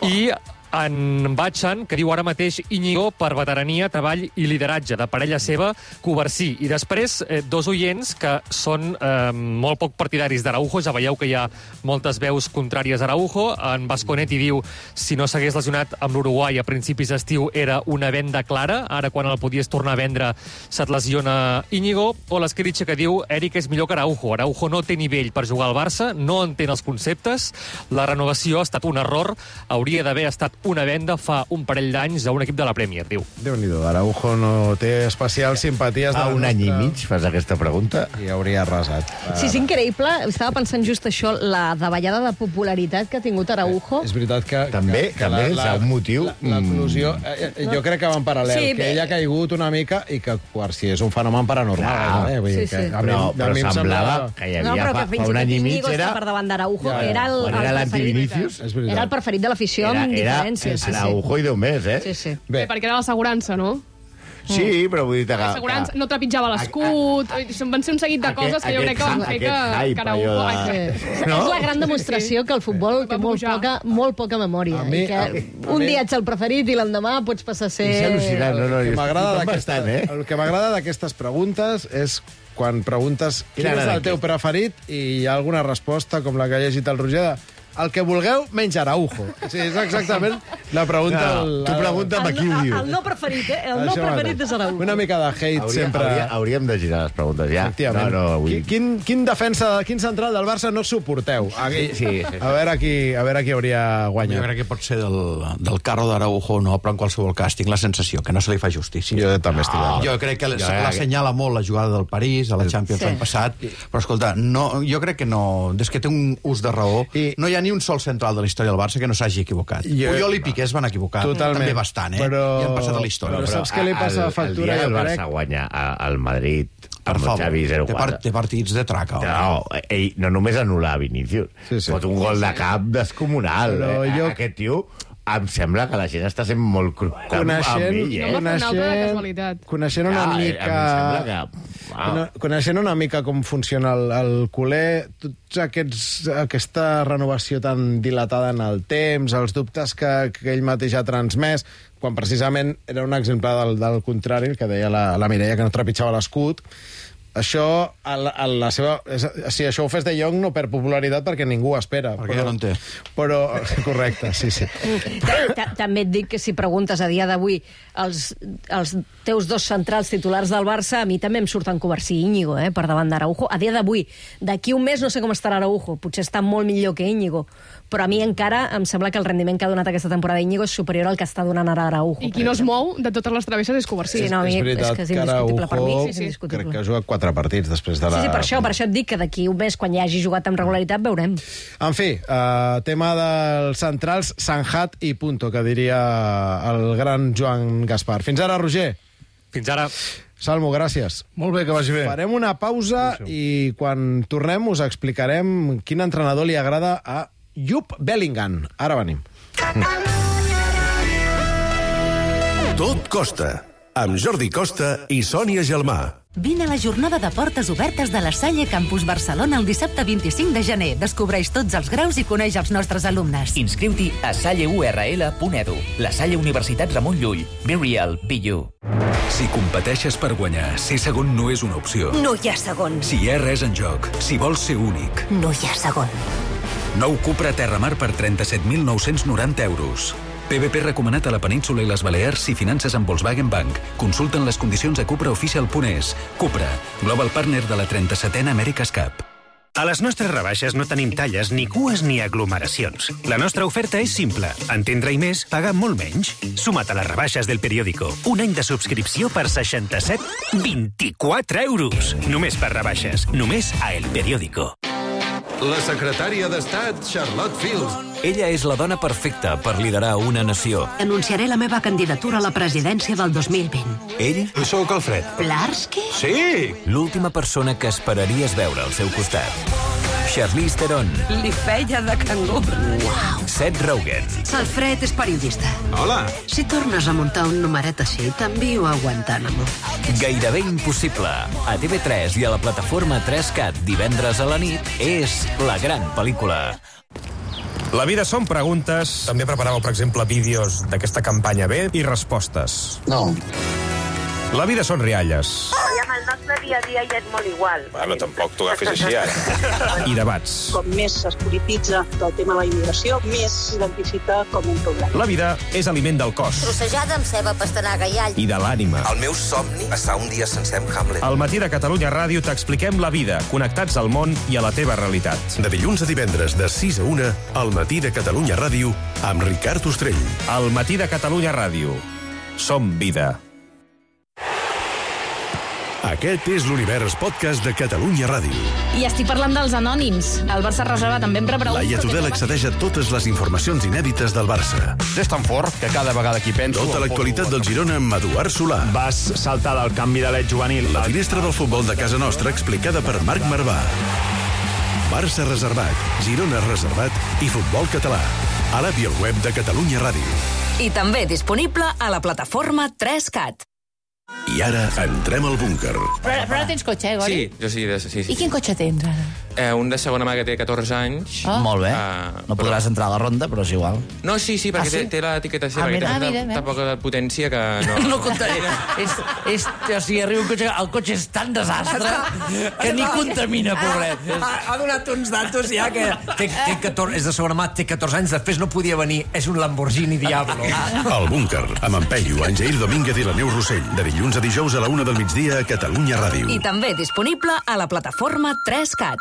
I en Batxan, que diu ara mateix Íñigo per veterania, treball i lideratge de parella seva, Cubarsí. I després, eh, dos oients que són eh, molt poc partidaris d'Araujo. Ja veieu que hi ha moltes veus contràries a Araujo. En Vasconetti diu si no s'hagués lesionat amb l'Uruguai a principis d'estiu era una venda clara. Ara, quan el podies tornar a vendre, se't lesiona Íñigo. O l'Esqueritxa, que diu Eric és millor que Araujo. Araujo no té nivell per jugar al Barça, no entén els conceptes. La renovació ha estat un error. Hauria d'haver estat una venda fa un parell d'anys a un equip de la Premier, diu. Déu-n'hi-do, Araujo no té especials simpaties... Fa un any i mig fas aquesta pregunta. I hauria arrasat. Sí, és increïble. Estava pensant just això, la davallada de popularitat que ha tingut Araujo. És veritat que... També, que, que també, és un motiu... L'eclusió... Eh, jo crec que va en paral·lel, Sí, que bé. ell ha caigut una mica i que Quarsi és un fenomen paranormal. No, eh? Vull dir sí, que sí. a mi, Però, a però mi em semblava semblava... que hi No, havia però fa, que fins fa i un tot any i mig Íñigo era... està per davant d'Araujo. Ja, ja. Era el, Quan el era preferit. l'antivinicius, És veritat. Era el preferit de l'afició Era, amb era diferència. Sí, sí. Araujo i Déu més, eh? Sí, sí. Bé, Bé, perquè era l'assegurança, no? sí, però vull dir... que- L'assegurança que- no trepitjava l'escut, van ser un seguit de Aquest- coses que jo crec que van fer aquest que, hype, que Araujo... allò de- Ai, Sí. No? És la gran demostració que el futbol té molt poca, molt poca memòria. A mi- I que a- a un mi- dia ets el preferit i l'endemà pots passar a ser... És al·lucinant, no, no, El que jo m'agrada estic d'aquesta- bastant, eh? el que m'agrada d'aquestes preguntes és quan preguntes quin Quina és agrada el teu aquest? preferit i hi ha alguna resposta, com la que ha llegit el Roger, de el que vulgueu, menys Araujo. Sí, és exactament la pregunta... No, el- tu pregunta'm a El, qui ho el, diu. el no preferit, eh? El no Això preferit mateix. és Araujo. Una mica de hate Hauria, sempre... hauria, hauríem de girar les preguntes, ja. Efectivament. No, no, vull... Qui- Quin, quin defensa, quin central del Barça no suporteu? Aquí, Sí, sí, sí. A veure qui, a veure qui hauria Jo guanyat. crec que pot ser del, del carro d'Araujo, no, però en qualsevol cas tinc la sensació que no se li fa justícia. Jo també estic d'acord. Jo crec que Jo, se eh, l'assenyala molt la jugada del París, a la Champions Sí. l'any passat, però escolta, no, jo crec que no, des que té un ús de raó, I- no hi ha ni un sol central de la història del Barça que no s'hagi equivocat. Jo- Puyol i Piqué es van equivocar, Totalment. també bastant, eh? Però- I han passat a la història. però saps què li passa a Factura, El dia que el jo Barça crec? guanya a- al Madrid Per amb el favor, Xavi zero té, quatre. part, té partits de traca. home. No, ell no només anul·lar Vinícius, Sí, sí. pot un gol de cap descomunal. Però eh? jo- Aquest tio, em sembla que la gent està sent molt cru amb Coneixent, ell, eh? No, una altra de coneixent, casualitat. coneixent una Ja, eh, mica... a mi em sembla que... Cono- Wow. Coneixent una mica com funciona el, el culer, tots aquests, aquesta renovació tan dilatada en el temps, els dubtes que, que ell mateix ha transmès, quan precisament era un exemple del, del contrari, el que deia la, la Mireia, que no trepitjava l'escut, això, a la, a la seva, és, si això ho fes de Jong no perd popularitat perquè ningú ho espera. Perquè ja no en té. Però, correcte, sí, sí. Ta- ta- També et dic que si preguntes a dia d'avui els, els teus dos centrals titulars del Barça, a mi també em surten Covarsí i Íñigo, eh, per davant d'Araujo. A dia d'avui, d'aquí un mes no sé com estarà Araujo, potser està molt millor que Íñigo, però a mi encara em sembla que el rendiment que ha donat aquesta temporada Íñigo és superior al que està donant ara Araujo. I qui no es mou de totes les travesses és Covarsí. Sí, no, a mi és veritat és que és que indiscutible per mi. Araujo Sí, sí, indiscutible. crec que ha jugat quatre partits després de la... Sí, sí, per això, per això et dic que d'aquí un mes, quan ja hagi jugat amb regularitat, veurem. En fi, uh, tema dels centrals, Sanjat i punto, que diria el gran Joan Gaspar. Fins ara, Roger. Fins ara. Salmo, gràcies. Molt bé, que vagi bé. Farem una pausa i quan tornem us explicarem quin entrenador li agrada a Jupp Bellingham. Ara venim. Tot costa, amb Jordi Costa i Sònia Gelmà. Vine a la jornada de portes obertes de la Salle Campus Barcelona el dissabte vint-i-cinc de gener. Descobreix tots els graus i coneix els nostres alumnes. Inscriu-t'hi a salle u erre ele punt edu. La Salle Universitat Ramon Llull. Be real, be you. Si competeixes per guanyar, ser segon no és una opció. No hi ha segon. Si hi ha res en joc, si vols ser únic. No hi ha segon. Nou Cupra Terramar per trenta-set mil nou-cents noranta euros. P B P recomanat a la península i les Balears si finances amb Volkswagen Bank. Consulten les condicions a cupraoficial punt es. Cupra, global partner de la trenta-setena America's Cup. A les nostres rebaixes no tenim talles, ni cues ni aglomeracions. La nostra oferta és simple. Entendre i més, pagar molt menys. Suma't a les rebaixes del periòdico. Un any de subscripció per seixanta-set coma vint-i-quatre euros. Només per rebaixes. Només a El Periódico. La secretària d'Estat, Charlotte Fields. Ella és la dona perfecta per liderar una nació. Anunciaré la meva candidatura a la presidència del dos mil vint. Ell? Sóc Alfred. Plarsky? Sí! L'última persona que esperaries veure al seu costat. Charlize Theron. Li feia de cangur. Uau. Seth Rogen. Alfred és periodista. Hola. Si tornes a muntar un numeret així, t'envio a Guantánamo. Gairebé impossible. A T V tres i a la plataforma tres cat divendres a la nit és La gran pel·lícula. La vida són preguntes. També preparàveu, per exemple, vídeos d'aquesta campanya B i respostes. No. La vida són rialles. Hola, el nostre dia a dia ja és molt igual. Bueno, tampoc t'ho agafis així, ara. I debats. Com més es polititza el tema de la immigració, més s'identifica com un problema. La vida és aliment del cos. Trossejada amb ceba, pastanaga i all. I de l'ànima. El meu somni, passar un dia sencer amb Hamlet. Al matí de Catalunya Ràdio t'expliquem la vida, connectats al món i a la teva realitat. De dilluns a divendres, de sis a una, al matí de Catalunya Ràdio, amb Ricard Ostrell. Al matí de Catalunya Ràdio. Som vida. Aquest és l'Univers Podcast de Catalunya Ràdio. I estic parlant dels anònims. El Barça reserva també em rebrà un... Laia Tudel accedeix a totes les informacions inèdites del Barça. És tan fort que cada vegada que hi penso... Tota l'actualitat del Girona amb Eduard Solà. Vas saltar del canvi de l'et juvenil. La finestra del futbol de casa nostra explicada per Marc Marvà. Barça reservat, Girona reservat i futbol català. A l'app i al web de Catalunya Ràdio. I també disponible a la plataforma tres cat. I ara entrem al búnquer. Però, però no tens cotxe, eh, Gori? Sí, jo sí, de, sí, sí. I quin cotxe tens, ara? Eh, un de segona mà que té catorze anys. Oh. Molt bé. Uh, no podràs però... entrar a la ronda, però és igual. No, sí, sí, perquè Ah, sí? té, té l'etiqueta seva, Ah, que mira. té Ah, mira, tan poca potència que no... No contamina. és, és, o sigui, arriba un cotxe... El cotxe és tan desastre que ni contamina, pobret. Ha, ha donat uns datos ja que té, té catorze, és de segona mà, té catorze anys, després no podia venir. És un Lamborghini Diablo. El búnquer, amb en Peyu, en Jair Domínguez i la Neus Rossell. De dilluns a dijous a la una del migdia a Catalunya Ràdio. I també disponible a la plataforma tres cat.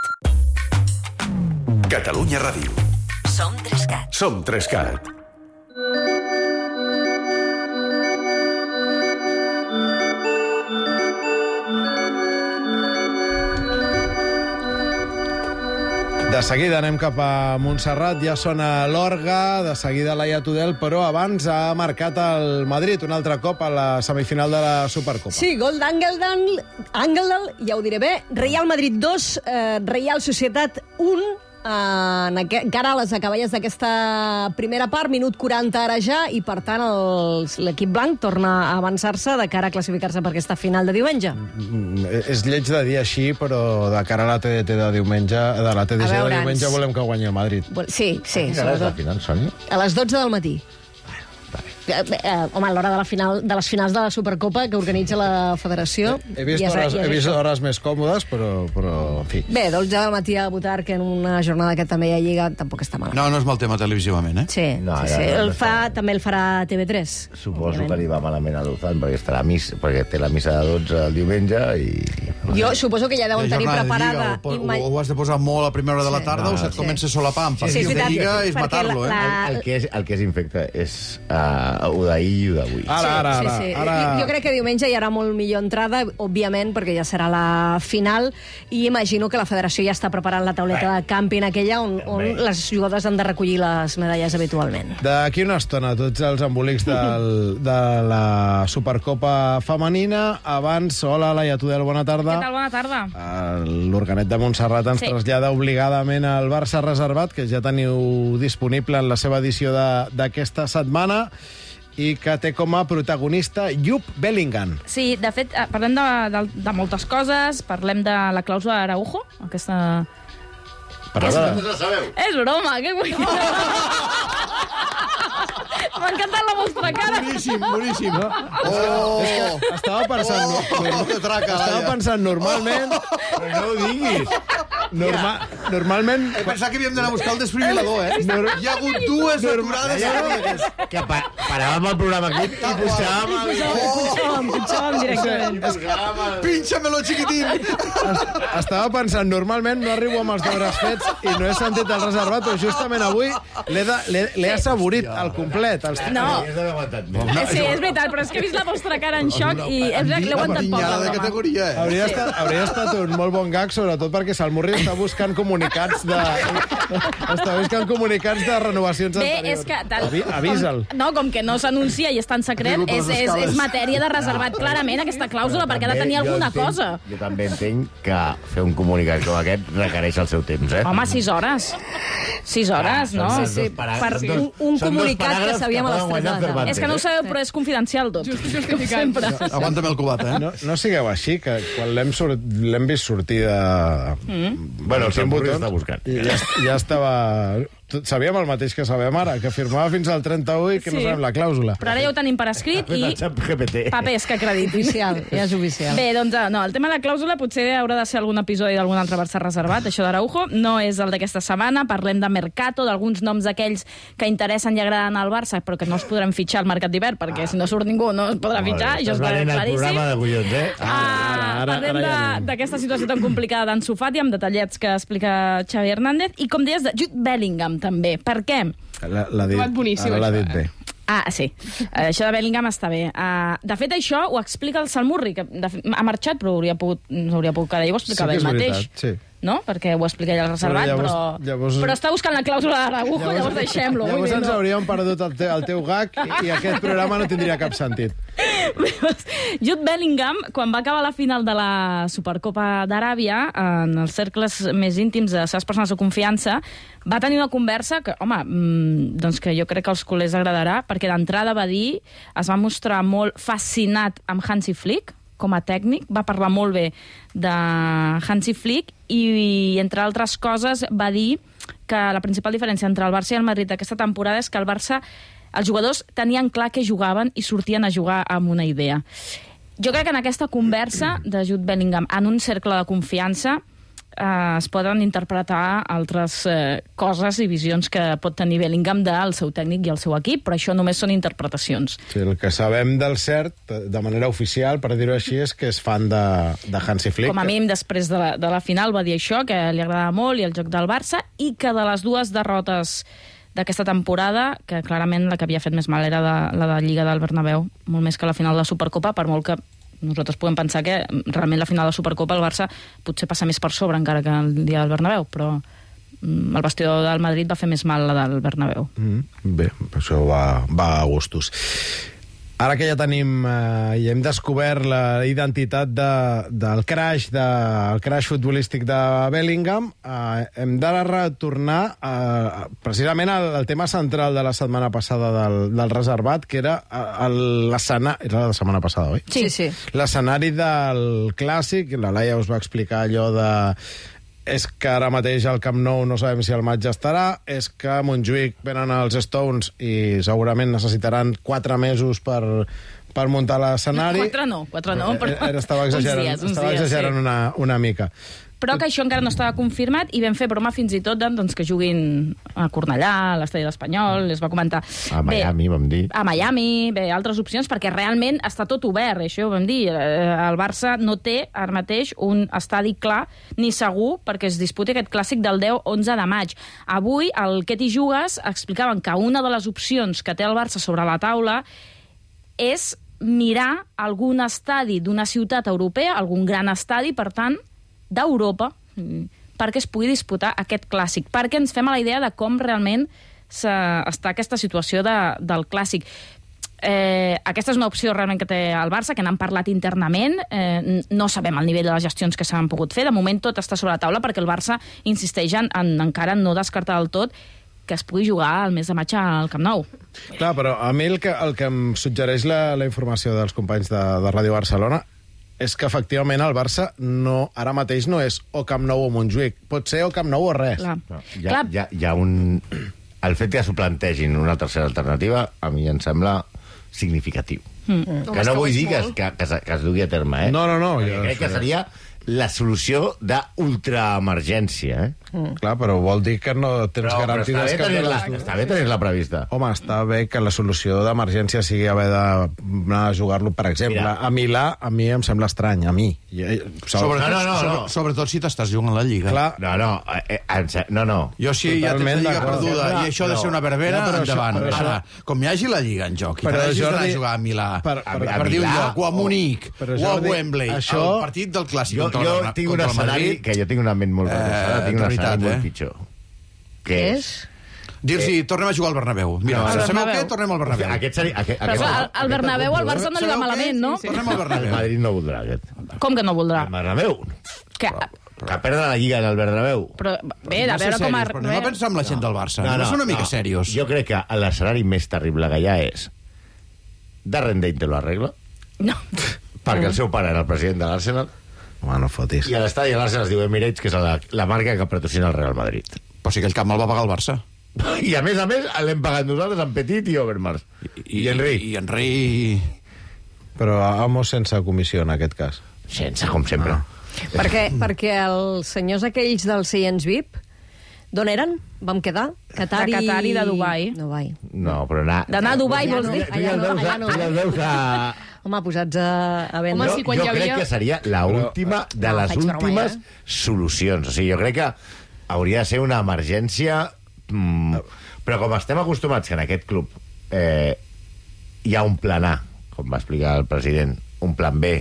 Catalunya Ràdio. Som tres cat. Som tres cat. De seguida anem cap a Montserrat, ja sona l'orga, de seguida Laia Tudel, però abans ha marcat el Madrid un altre cop a la semifinal de la Supercopa. Sí, gol d'Angeldal, Angeldal, ja ho diré bé, Real Madrid dos, eh, Real Societat un, en aquest, encara a les acaballes d'aquesta primera part, minut quaranta ara ja, i per tant l'equip blanc torna a avançar-se de cara a classificar-se per aquesta final de diumenge. Mm, és lleig de dir així, però de cara a la T D T de diumenge, de la T D C de diumenge volem que guanyi el Madrid. Sí, sí. A quina hora és la final, Sònia? A les dotze del matí. Eh, eh, home, a l'hora de, la final, de les finals de la Supercopa que organitza la Federació... He vist, ja és, hores, ja és he vist això. hores més còmodes, però, però en fi. Bé, dotze del matí a votar, que en una jornada que també hi ha Lliga tampoc està malament. No, no és mal tema televisivament, eh? Sí, No, sí, ja, sí. ja, El ja fa, també el farà T V tres. Suposo que li va malament a l'Uzan, perquè, estarà a mis, perquè té la missa de dotze el diumenge i... Jo suposo que ja deuen La tenir jornada de preparada... Lliga, o, o, o has de posar molt a primera hora de la tarda No, o se't sí. comença a solapar. Sí, sí, és de veritat, Lliga és perquè matar-lo, la- eh? la- El, el, que és, el que és infecte és uh, ho d'ahir i ho d'avui. Ara, ara, sí, ara. sí. ara... Jo, jo crec que diumenge hi haurà molt millor entrada, òbviament, perquè ja serà la final, i imagino que la federació ja està preparant la tauleta de càmping aquella on, on les jugadores han de recollir les medalles habitualment. D'aquí una estona, tots els embolics del, de la Supercopa femenina. Abans, hola, Laia Tudel, bona tarda. Què tal? Bona tarda. L'Organet de Montserrat ens Sí. trasllada obligadament al Barça reservat, que ja teniu disponible en la seva edició de- d'aquesta setmana, i que té com a protagonista Jupp Bellingham. Sí, de fet, eh, parlem de, de, de moltes coses. Parlem de la clàusula d'Araujo, aquesta... Parla No ho sabeu? És broma, què vull dir? M'ha encantat la vostra cara. Boníssim, boníssim. No? Oh! És que estava pensant... Oh, no, que traca, estava Laia. pensant normalment... Però no ho diguis. Norma, normalment... He pensat que havíem d'anar a buscar el desfibrilador, eh? Hi ha hagut dues aturades seguides. Que pa paràvem el programa aquí i buscàvem... el- Punxàvem, punxàvem directament. Pinxa-me-lo, xiquitín! Estava pensant, normalment no arribo amb els deures fets i no he sentit el reservat, però justament avui l'he de- l'he l'he assaborit al complet. Els... No. Hauries d'haver aguantat més. Sí, és veritat, però és que he vist la vostra cara en xoc i és veritat que l'he aguantat poc. Pinyada la de broma. categoria, eh? Hauria, estat, hauria estat un molt bon gag, sobretot perquè Salmurri està buscant comunicats de... està buscant comunicats de renovacions Bé, anteriors. és que... Tal, Avi, avisa'l. Com, no, com que no s'anuncia i és tan secret, Arribo per és, les és, escales. és matèria de reservat clarament aquesta clàusula, perquè ha de tenir Jo alguna entenc- cosa. Jo també entenc que fer un comunicat com aquest requereix el seu temps, eh? Home, sis hores. Sis hores, no? són Sí, sí, dos parà- per són dos- un, un són dos comunicat que paràgrafs sabíem a les poden tres de guanyar la tarda. Cervantes, És que no ho eh? sabeu, però és confidencial tot. Com sempre. Aguanta'm el cubat, eh? No, no sigueu així, que quan l'hem sort... l'hem vist sortir de... Mm. Bueno, el Quin Salmurri botó? està buscant. Ja, ja estava sabíem el mateix que sabem ara, que firmava fins al trenta-u i que no Sí. sabem la clàusula. Però ara ja ho tenim per escrit i papers que acreditin. Oficial, ja és oficial. Bé, doncs no, el tema de la clàusula potser haurà de ser algun episodi d'algun altre Barça reservat, això d'Araujo. No és el d'aquesta setmana, parlem de Mercato, d'alguns noms d'aquells que interessen i agraden al Barça, però que no es podran fitxar al mercat d'hivern, perquè ah. si no surt ningú no es podrà fitxar, això està claríssim. el programa de Collons, eh? Ah, parlem de- d'aquesta situació tan complicada d'Ansu Fati, amb detallets que explica Xavi Hernández, i com deies, de Jude Bellingham, també. Per què? L'ha dit, boníssim, ara l'ha això, dit bé. Ah, sí. Uh, això de Bellingham està bé. Uh, de fet, això ho explica el Salmurri, que de fet, ha marxat, però hauria pogut, hauria pogut quedar. I ho explicava Sí que ell és mateix. veritat, sí. No? Perquè ho explica ell al reservat, Però però, llavors- llavors- però està buscant la clàusula d'Araujo, llavors, llavors deixem-lo. vull Llavors dir, ens no. hauríem perdut el, te, el teu gag i, i aquest programa no tindria cap sentit. Jude Bellingham, quan va acabar la final de la Supercopa d'Aràbia, en els cercles més íntims de les seves persones de confiança, va tenir una conversa que, home, mmm, doncs que jo crec que als culers agradarà, perquè d'entrada va dir, es va mostrar molt fascinat amb Hansi Flick, com a tècnic, va parlar molt bé de Hansi Flick i, entre altres coses, va dir que la principal diferència entre el Barça i el Madrid d'aquesta temporada és que el Barça, els jugadors tenien clar que jugaven i sortien a jugar amb una idea. Jo crec que en aquesta conversa de Jude Bellingham en un cercle de confiança eh, es poden interpretar altres eh, coses i visions que pot tenir Bellingham del seu tècnic i el seu equip, però això només són interpretacions. Sí, el que sabem del cert, de manera oficial, per dir-ho així, és que és fan de, de Hansi Flick. Com a mínim, després de la, de la final va dir això, que li agradava molt i el joc del Barça, i que de les dues derrotes d'aquesta temporada, que clarament la que havia fet més mal era de, la de Lliga del Bernabéu, molt més que la final de la Supercopa, per molt que nosaltres podem pensar que realment la final de la Supercopa el Barça potser passa més per sobre encara que el dia del Bernabéu, però el vestidor del Madrid va fer més mal la del Bernabéu. Mm, bé, això va, va a gustos. Ara que ja tenim eh, i hem descobert la identitat de, del crash, de, el crash futbolístic de Bellingham, eh, hem de retornar eh, precisament al, al tema central de la setmana passada del, del reservat, que era l'escenari... Era la setmana passada, oi? Sí, sí. L'escenari del Clàssic, la Laia us va explicar allò de... És que ara mateix al Camp Nou no sabem si el maig estarà, és que a Montjuïc venen els Stones i segurament necessitaran quatre mesos per, per muntar l'escenari. Quatre no, quatre no, però... Eh, estava exagerant, uns dies, uns estava dies, exagerant sí. una, una mica. Però que això encara no estava confirmat i vam fer broma fins i tot doncs, que juguin a Cornellà, a l'Estadi de l'Espanyol, es va comentar... A Miami, bé, vam dir. A Miami, bé, altres opcions, perquè realment està tot obert, això ho vam dir. El Barça no té ara mateix un estadi clar ni segur perquè es disputi aquest clàssic del deu onze de maig. Avui, al Què t'hi jugues, explicaven que una de les opcions que té el Barça sobre la taula és mirar algun estadi d'una ciutat europea, algun gran estadi, per tant, d'Europa, perquè es pugui disputar aquest clàssic, perquè ens fem a la idea de com realment està aquesta situació de, del clàssic. Eh, aquesta és una opció realment que té el Barça, que n'han parlat internament, eh, no sabem el nivell de les gestions que s'han pogut fer, de moment tot està sobre la taula perquè el Barça insisteix en, en encara no descartar del tot que es pugui jugar al mes de maig al Camp Nou. Clar, però a mi el que, el que em suggereix la, la informació dels companys de, de Ràdio Barcelona és que efectivament el Barça no, ara mateix no és o Camp Nou o Montjuïc. Pot ser o Camp Nou o res. Clar. No, hi, ha, hi, ha, hi ha un... El fet que s'ho plantegin una tercera alternativa, a mi em sembla significatiu. Mm. Que no vull dir que, que, que, es, que es dugui a terme, eh? No, no, no. Jo crec que seria la solució d'ultraemergència, eh? Mm. Clar, però vol dir que no tens però, garantides... Però està bé tenir-la està bé tenir-la prevista. Home, està bé que la solució d'emergència sigui haver d'anar a jugar-lo, per exemple, Mira. a Milà, a mi em sembla estrany, a mi. Sobretot, no, no, no, sobre, sobretot si t'estàs jugant a la Lliga. Clar. No, no, eh, eh, no, no. Jo si ja tens la Lliga perduda no, i això ha de ser una verbena, no, endavant. Això, Ara, com hi hagi la Lliga en joc, i però t'hagis d'anar Jordi, a jugar a Milà, per, per, per, per dir un lloc, o a Munic, però, o a Jordi, Wembley, això... el partit del Clàssic jo, contra, jo la, tinc un contra el escenari, Madrid... que jo tinc una ment molt retrasada, eh, tinc un escenari molt eh? pitjor. Què és? Dir-los, eh, tornem a jugar al Bernabéu. Mira, no, sabeu què? Tornem al Bernabéu. Aquest seria, aquest, Però aquest, al, al Bernabéu al Barça no li va malament, no? Sí, sí. Tornem al Bernabéu. El Madrid no voldrà aquest. Com que no voldrà? El Bernabéu. Que... Que perdre la Lliga en el Bernabéu. Però bé, de veure com... Però anem a pensar en la gent del Barça. No, no, no, no una mica no. serios. Jo crec que l'escenari més terrible que hi ha és Darren Dane te lo arregla, no. perquè el seu pare era el president de l'Arsenal. Home, no fotis. I a l'estadi de l'Arsenal es diu Emirates, que és la, la marca que patrocina el Real Madrid. Però sí que el camp el va pagar el Barça. I a més a més l'hem pagat nosaltres amb Petit i Overmars. I, I Henry. I Henry... Però Amo sense comissió, en aquest cas. Sense, com sempre. Ah. Perquè, perquè els senyors aquells dels seients V I P, d'on eren? Vam quedar? Qatar De Qatar i de Dubai. Dubai. No, però anar... D'anar a Dubai, vols dir? Allà no, allà no. Ja el veus a... Home, posats a, a vendre. Home, sí, quan jo hi havia... crec que seria l'última de No, les faig broma, últimes eh? solucions. O sigui, jo crec que hauria de ser una emergència... Mm, però com estem acostumats que en aquest club eh, hi ha un plan A, com va explicar el president, un plan B,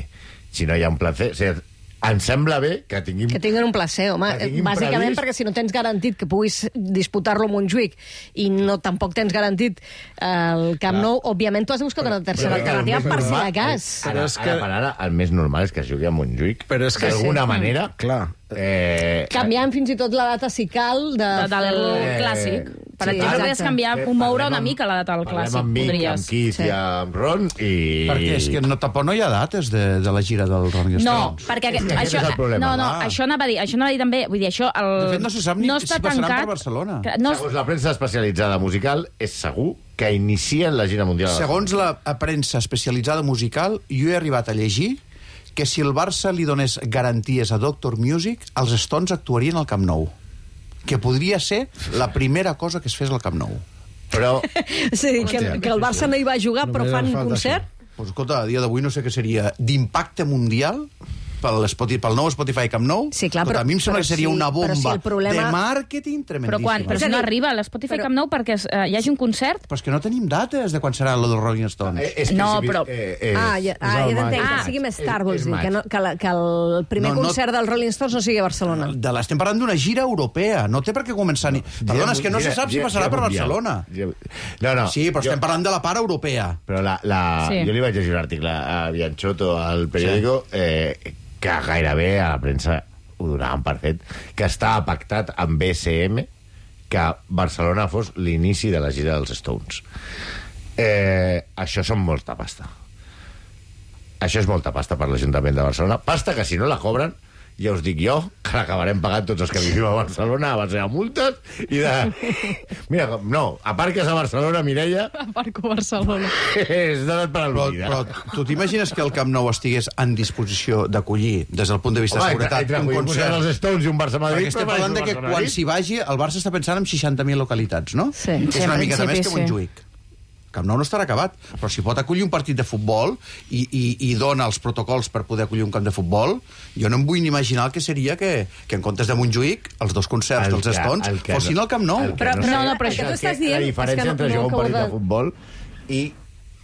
si no hi ha un plan C... O sigui, em sembla bé que tinguin... Que tinguin un placer, home. Bàsicament previst... perquè si no tens garantit que puguis disputar-lo a Montjuïc i no tampoc tens garantit el Camp Nou, òbviament tu has de buscar una tercera alternativa per si de cas. Ara, ara, per ara, el més normal és que es jugui a Montjuïc. Però és que d'alguna sí. manera... Clar. Eh, Canviant fins i tot la data, si cal, de... De, del Eh, clàssic. Per sí, exemple, exacte. podries canviar, Eh, un moure parlem una amb- mica la data del Parlem clàssic. amb Vic, Podries. amb Keith Sí. i amb Ron i... Perquè és que no, tampoc no hi ha dates de, de la gira del Rolling No, Stones. perquè És que aquest això, és el problema. no, no, Ah. això anava a dir, això anava a dir també, vull dir, això el, De fet, no se sap ni no si està passaran tancat, per Barcelona. que No, Segons la premsa especialitzada musical, és segur que inicien la gira mundial. Segons la premsa especialitzada musical, jo he arribat a llegir que si el Barça li donés garanties a Doctor Music, els Stones actuarien al Camp Nou. Que podria ser la primera cosa que es fes al Camp Nou. Però... Sí, que, que el Barça no hi va jugar, però Només fan em falta concert. Pues, escolta, a dia d'avui no sé què seria d'impacte mundial pel, Spotify, pel nou Spotify Camp Nou. Sí, clar, escolta, però- a mi em sembla però que seria sí, una però bomba sí, el problema- de màrqueting però tremendíssima. quan? Però És si a no dir, arriba a l'Spotify però- Camp Nou perquè uh, hi hagi un concert. Però és que no tenim dates de quan serà lo dels Rolling Stones. Eh, és que No, si- però- Eh, eh, Ah, ja, ah, ja t'entenc, Ah, que sigui més tard, és- vols és dir, maig. que, no, que, la, que el primer No, no- concert dels Rolling Stones no sigui a Barcelona. De l'estem parlant d'una gira europea, no té per què començar ni... Perdona, és que no se sap si passarà per Barcelona. No, no. Sí, però jo- estem parlant de la part europea. Però la, la... Sí. jo li vaig llegir un article a Bianchotto al periòdico sí. eh, que gairebé a la premsa ho donaven per fet, que estava pactat amb B C M que Barcelona fos l'inici de la gira dels Stones. Eh, això són molta pasta. Això és molta pasta per l'Ajuntament de Barcelona. Pasta que si no la cobren, ja us dic jo, que l'acabarem pagant tots els que vivim a Barcelona a base de multes i de... Mira, no, aparques a Barcelona, Mireia, Aparco Barcelona. és donat per Però, al·ludida. però tu t'imagines que el Camp Nou estigués en disposició d'acollir, des del punt de vista de Home, seguretat, entre, un entre concert? els Stones i un Barça-Madrid... Perquè estem parlant de que quan s'hi vagi, el Barça està pensant en seixanta mil localitats, no? Sí, que sí, és una en mica més principi, que sí. Montjuïc. Camp Nou no estarà acabat, però si pot acollir un partit de futbol i, i, i dona els protocols per poder acollir un camp de futbol, jo no em vull ni imaginar el que seria que, que en comptes de Montjuïc, els dos concerts El dels que- Stones el que fossin no- al Camp Nou. el que Però- no però sé no, no, però és això el tu estàs que- dient la és diferència que no- entre no jugar un acabo partit de de- futbol i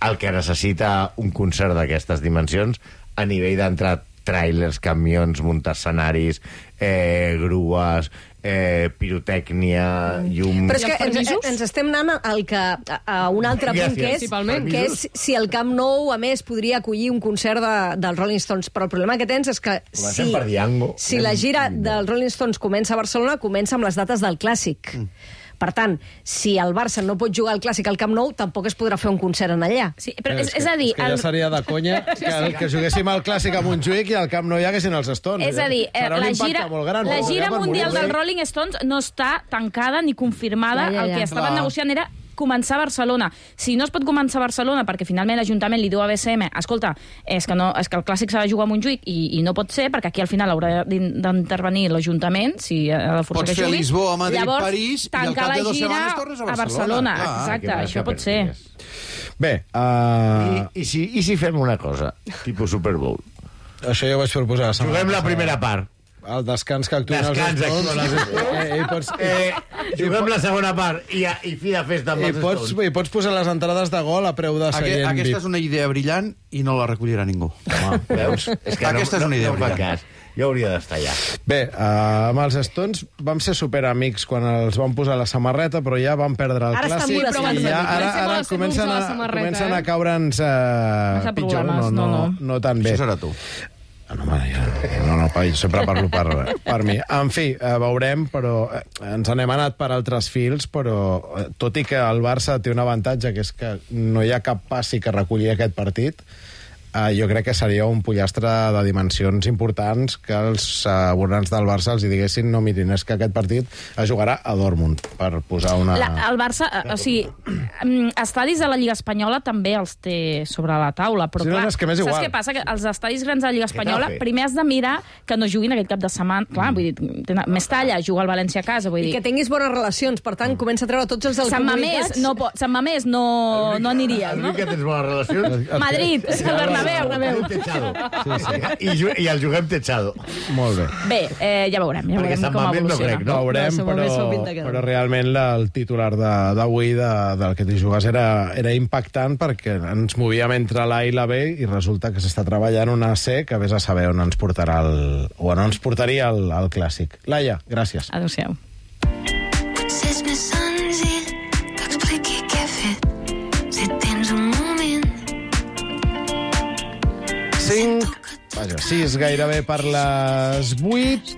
el que necessita un concert d'aquestes dimensions a nivell d'entrar tràilers, camions, muntar escenaris, eh, grues, eh, pirotècnia, llum... Però és I que els ens, permisos? ens estem anant al que, a, a un altre punt, Gràcies. que és, Principalment. que és si el Camp Nou, a més, podria acollir un concert de, dels Rolling Stones. Però el problema que tens és que Comencem si, per Diango. si la gira dels Rolling Stones comença a Barcelona, comença amb les dates del Clàssic. Mm. Per tant, si el Barça no pot jugar al Clàssic al Camp Nou, tampoc es podrà fer un concert en allà. Sí, però és, és a dir... És que ja seria de conya que, que juguéssim al Clàssic a Montjuïc i al Camp Nou hi haguessin els Stones. És a dir, eh, Serà un la impacte gira, molt gran. la no? gira Ja per mundial morir-se. dels Rolling Stones no està tancada ni confirmada. Ja, ja, ja. El que estaven Clar. negociant era començar a Barcelona. Si no es pot començar a Barcelona perquè finalment l'Ajuntament li diu a B C M escolta, és que, no, és que el Clàssic s'ha de jugar a Montjuïc i, i no pot ser perquè aquí al final haurà d'in- d'intervenir l'Ajuntament si ha de forçar Pots que fer jugui. Lisboa, Madrid, Llavors, París, i al tancar cap de la dues gira setmanes tornes a a Barcelona. Barcelona. Clar, Exacte, que això que pot ser. Bé, uh, I, i, si, I si fem una cosa, tipus Super Bowl? això ja ho vaig proposar la setmana Juguem la passada. primera part. El descans que actuïn els Descans, Stones. actuen els Stones. Eh, i pots, Eh, juguem la segona part i, i fi de festa amb i, els pots, Stones. I pots posar les entrades de gol a preu de Aquest, seient aquesta V I P. és una idea brillant i no la recollirà ningú. Home, veus? És que Aquesta és no, una idea no, no fa brillant. cas. Jo hauria d'estar allà. Bé, uh, amb els Stones vam ser superamics quan els vam posar la samarreta, però ja vam perdre el Ara estan clàssic molt i ja, ara, Comencem ara a ser comencen, grups a a, la samarreta, comencen eh? a caure'ns uh, Massa pitjor, no, problemes, no, no, no, no tan bé. Això serà tu. Ah, no, home, ja, no, no, jo sempre parlo per, per mi. En fi, eh, veurem, però eh, ens n'hem anat per altres fils, però eh, tot i que el Barça té un avantatge, que és que no hi ha cap passi que recollir aquest partit, Uh, jo crec que seria un pollastre de dimensions importants que els uh, abonants del Barça els hi diguessin no, mirin, és que aquest partit es jugarà a Dortmund, per posar una... La, el Barça, o sigui, estadis de la Lliga Espanyola també els té sobre la taula, però sí, clar, no, és que m'és igual. Saps què passa? Que els estadis grans de la Lliga Espanyola primer has de mirar que no juguin aquest cap de setmana. Clar, vull dir, tenen, més talla, juga el València a casa, vull dir... I que tinguis bones relacions, per tant, comença a treure tots els del Sant Mamés no, po- Sant Mamés no, no aniries, no? El que tens bones relacions... Madrid, Bernabéu, Bernabéu. Sí, sí. I, ju I el juguem techado. Molt bé. Bé, eh, ja veurem, ja Perquè veurem Sant com Mamés no evoluciona. crec, no? Veurem, No, però, però realment la, el titular de- d'avui de, del que t'hi jugues era, era impactant perquè ens movíem entre l'A i la B i resulta que s'està treballant una C que vés a saber on ens portarà el, o on ens portaria el, el clàssic. Laia, gràcies. Adéu-siau. Potser és més senzill que expliqui què he fet si tens un moment. cinc, vaja, sis gairebé per les vuit,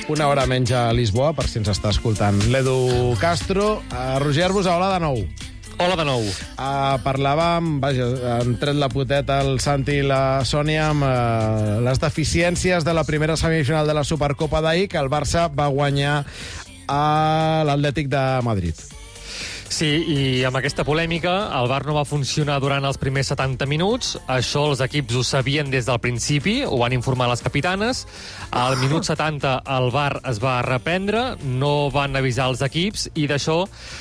una hora menys a Lisboa, per si ens està escoltant l'Edu Castro. Uh, Roger Arbus, hola de nou. Hola de nou. Uh, parlàvem, vaja, han tret la poteta el Santi i la Sònia amb uh, les deficiències de la primera semifinal de la Supercopa d'ahir, que el Barça va guanyar a l'Atlètic de Madrid. Sí, i amb aquesta polèmica, el V A R no va funcionar durant els primers setanta minuts. Això els equips ho sabien des del principi, ho van informar les capitanes. Al minut setanta el V A R es va reprendre, no van avisar els equips, i d'això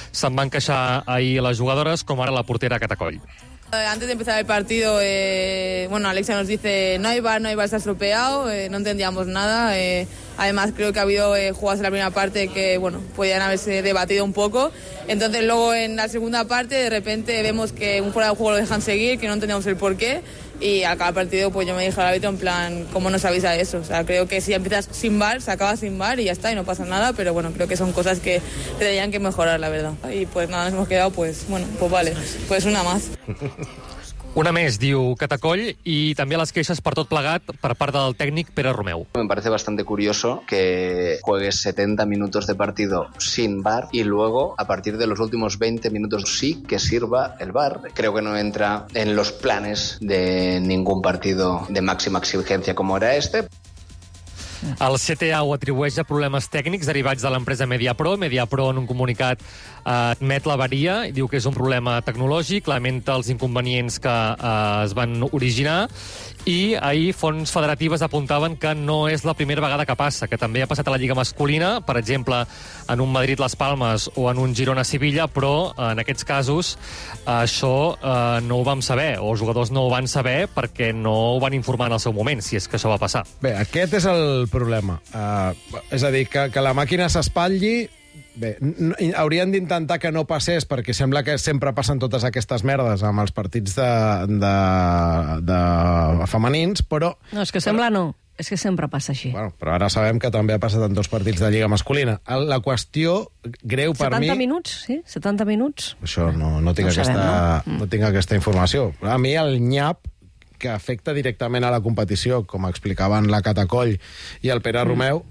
se'n van queixar ahir les jugadores, com ara la portera Catacoll. Antes de empezar el partido, eh, bueno, Alexia nos dice no hay V A R, no hay V A R, está estropeado, eh, no entendíamos nada. Eh, además, creo que ha habido eh, jugadas en la primera parte que, bueno, podían haberse debatido un poco. Entonces, luego en la segunda parte, de repente vemos que un fuera de juego lo dejan seguir, que no entendíamos el porqué. Y a cada partido, pues yo me dije al árbitro en plan, ¿cómo nos avisa eso? O sea, creo que si empiezas sin V A R, se acaba sin V A R y ya está, y no pasa nada. Pero bueno, creo que son cosas que tendrían que mejorar, la verdad. Y pues nada, nos hemos quedado, pues bueno, pues vale, pues una más. Una més, diu Catacoll, i també les queixes per tot plegat per part del tècnic Pere Romeu. Me parece bastante curioso que juegues setenta minutos de partido sin V A R y luego, a partir de los últimos veinte minutos, sí que sirva el V A R. Creo que no entra en los planes de ningún partido de máxima exigencia como era este. El C T A ho atribueix a problemes tècnics derivats de l'empresa Mediapro. Mediapro, en un comunicat, eh, admet l'avaria i diu que és un problema tecnològic, lamenta els inconvenients que eh, es van originar, i ahir fonts federatives apuntaven que no és la primera vegada que passa, que també ha passat a la Lliga masculina, per exemple, en un Madrid-Las Palmes o en un Girona-Sevilla, però en aquests casos això eh, no ho vam saber, o els jugadors no ho van saber perquè no ho van informar en el seu moment, si és que això va passar. Bé, aquest és el problema. Uh, és a dir, que, que la màquina s'espatlli. Bé, no, haurien d'intentar que no passés, perquè sembla que sempre passen totes aquestes merdes amb els partits de, de, de femenins, però... No, és que sembla no. És que sempre passa així. Bueno, però ara sabem que també ha passat en dos partits de Lliga masculina. La qüestió greu per mi... setanta minuts, sí? setanta minuts? Això no, no, tinc, no aquesta, sabem, no? no tinc aquesta informació. A mi el nyap que afecta directament a la competició, com explicaven la Catacoll i el Pere mm. Romeu,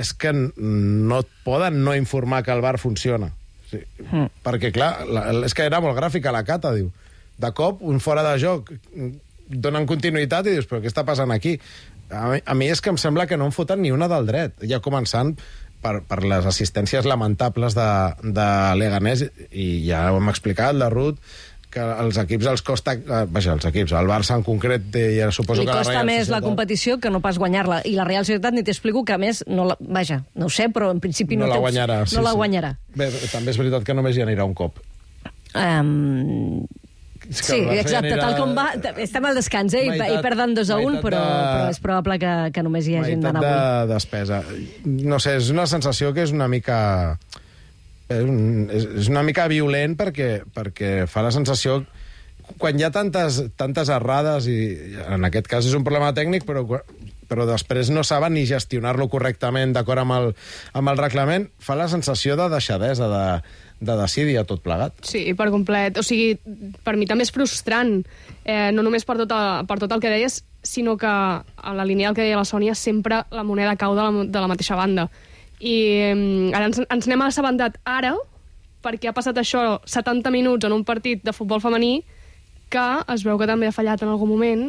és que no et poden no informar que el V A R funciona. Sí. Mm. Perquè, clar, la, és que era molt gràfica la Cata, diu. De cop, un fora de joc, donen continuïtat i dius, però què està passant aquí? A mi, a mi és que em sembla que no en foten ni una del dret, ja començant per, per les assistències lamentables de, de Leganés, i ja ho hem explicat, la Ruth, que als equips els costa... Eh, vaja, els equips, el Barça en concret, ja suposo Li que la costa Real més Societat... la competició que no pas guanyar-la. I la Real Societat, ni t'explico que, a més, no la... vaja, no ho sé, però en principi no, no la té... guanyarà. No sí, la sí. guanyarà. Bé, també és veritat que només hi anirà un cop. Um... Sí, exacte, tal com va... Estem al descans, eh? Meitat, I perden dos a un, però, de... però és probable que, que només hi hagin d'anar avui. Meitat de despesa. No sé, és una sensació que és una mica... És, un, és una mica violent perquè, perquè fa la sensació... Quan hi ha tantes, tantes errades, i en aquest cas és un problema tècnic, però, però després no saben ni gestionar-lo correctament d'acord amb, el, amb el reglament, fa la sensació de deixadesa, de, de decidir a tot plegat. Sí, per complet. O sigui, per mi també és frustrant, eh, no només per tot, el, per tot el que deies, sinó que a la línia del que deia la Sònia sempre la moneda cau de la, de la mateixa banda. I eh, ara ens, ens n'hem assabentat ara, perquè ha passat això setanta minuts en un partit de futbol femení, que es veu que també ha fallat en algun moment,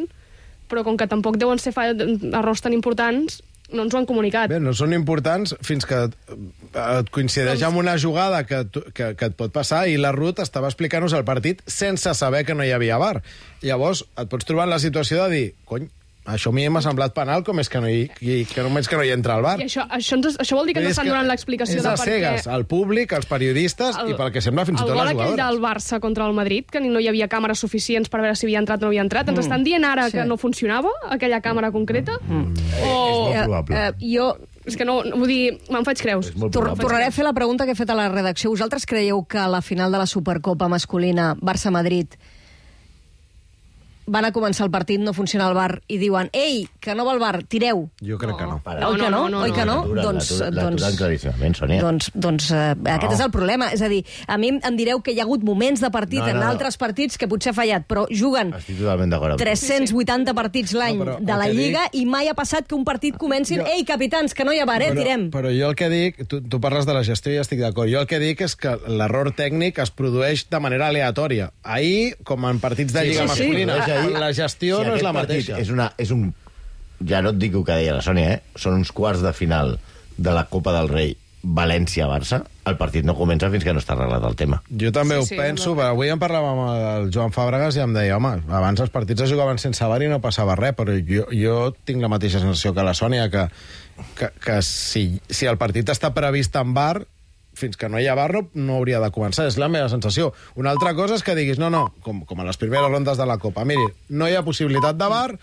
però com que tampoc deuen ser fa- errors tan importants, no ens ho han comunicat. Bé, no són importants fins que et coincideix amb una jugada que, tu- que, que et pot passar i la Ruth estava explicant-nos el partit sense saber que no hi havia V A R. Llavors et pots trobar en la situació de dir, cony, això a mi m'ha semblat penal, com és que no hi, que, que només que no hi entra el V A R. I això, això, ens, això vol dir que ens estan donant l'explicació és de a per què... cegues, al públic, als periodistes El- i pel que sembla fins i tot El les gol aquell jugadores. del Barça contra el Madrid, que ni no hi havia càmeres suficients per veure si havia entrat o no havia entrat, ens Mm. estan dient ara Sí. que no funcionava aquella càmera concreta? Mm. O... És molt probable. Eh, jo És que no, no vull dir, me'n faig creus. Tor tornaré a fer la pregunta que he fet a la redacció. Vosaltres creieu que a la final de la Supercopa masculina Barça-Madrid van a començar el partit, no funciona el V A R, i diuen, ei, que no va el V A R, tireu. Jo crec que no. Oi que no? Oi que no? L'aturen, Doncs, l'aturen, doncs, l'aturen claríssimament, Sònia. doncs, doncs eh, aquest és el problema. És a dir, a mi em direu que hi ha hagut moments de partit No, no, en no. altres partits que potser ha fallat, però juguen Estic totalment d'acord amb tu. tres-cents vuitanta partits l'any No, però de la el que Lliga i mai ha passat que un partit comencin, Jo- ei, capitans, que no hi ha V A R, eh, tirem. Però jo el que dic, tu, tu parles de la gestió i estic d'acord, jo el que dic és que l'error tècnic es produeix de manera aleatòria. Ahir, com en partits de Sí, Lliga sí, sí. masculina, Produeix ahir. la gestió Si no és aquest la partit mateixa. És, una, és un... Ja no et dic el que deia la Sònia, eh? Són uns quarts de final de la Copa del Rei València-Barça. El partit no comença fins que no està arreglat el tema. Jo també Sí, ho sí, penso, no. però avui en parlàvem amb el Joan Fàbregas i em deia, home, abans els partits es jugaven sense V A R i no passava res, però jo, jo tinc la mateixa sensació que la Sònia, que, que, que si, si el partit està previst en V A R, fins que no hi ha V A R no, no hauria de començar, és la meva sensació. Una altra cosa és que diguis, no, no, com, com a les primeres rondes de la Copa, miri, no hi ha possibilitat de V A R,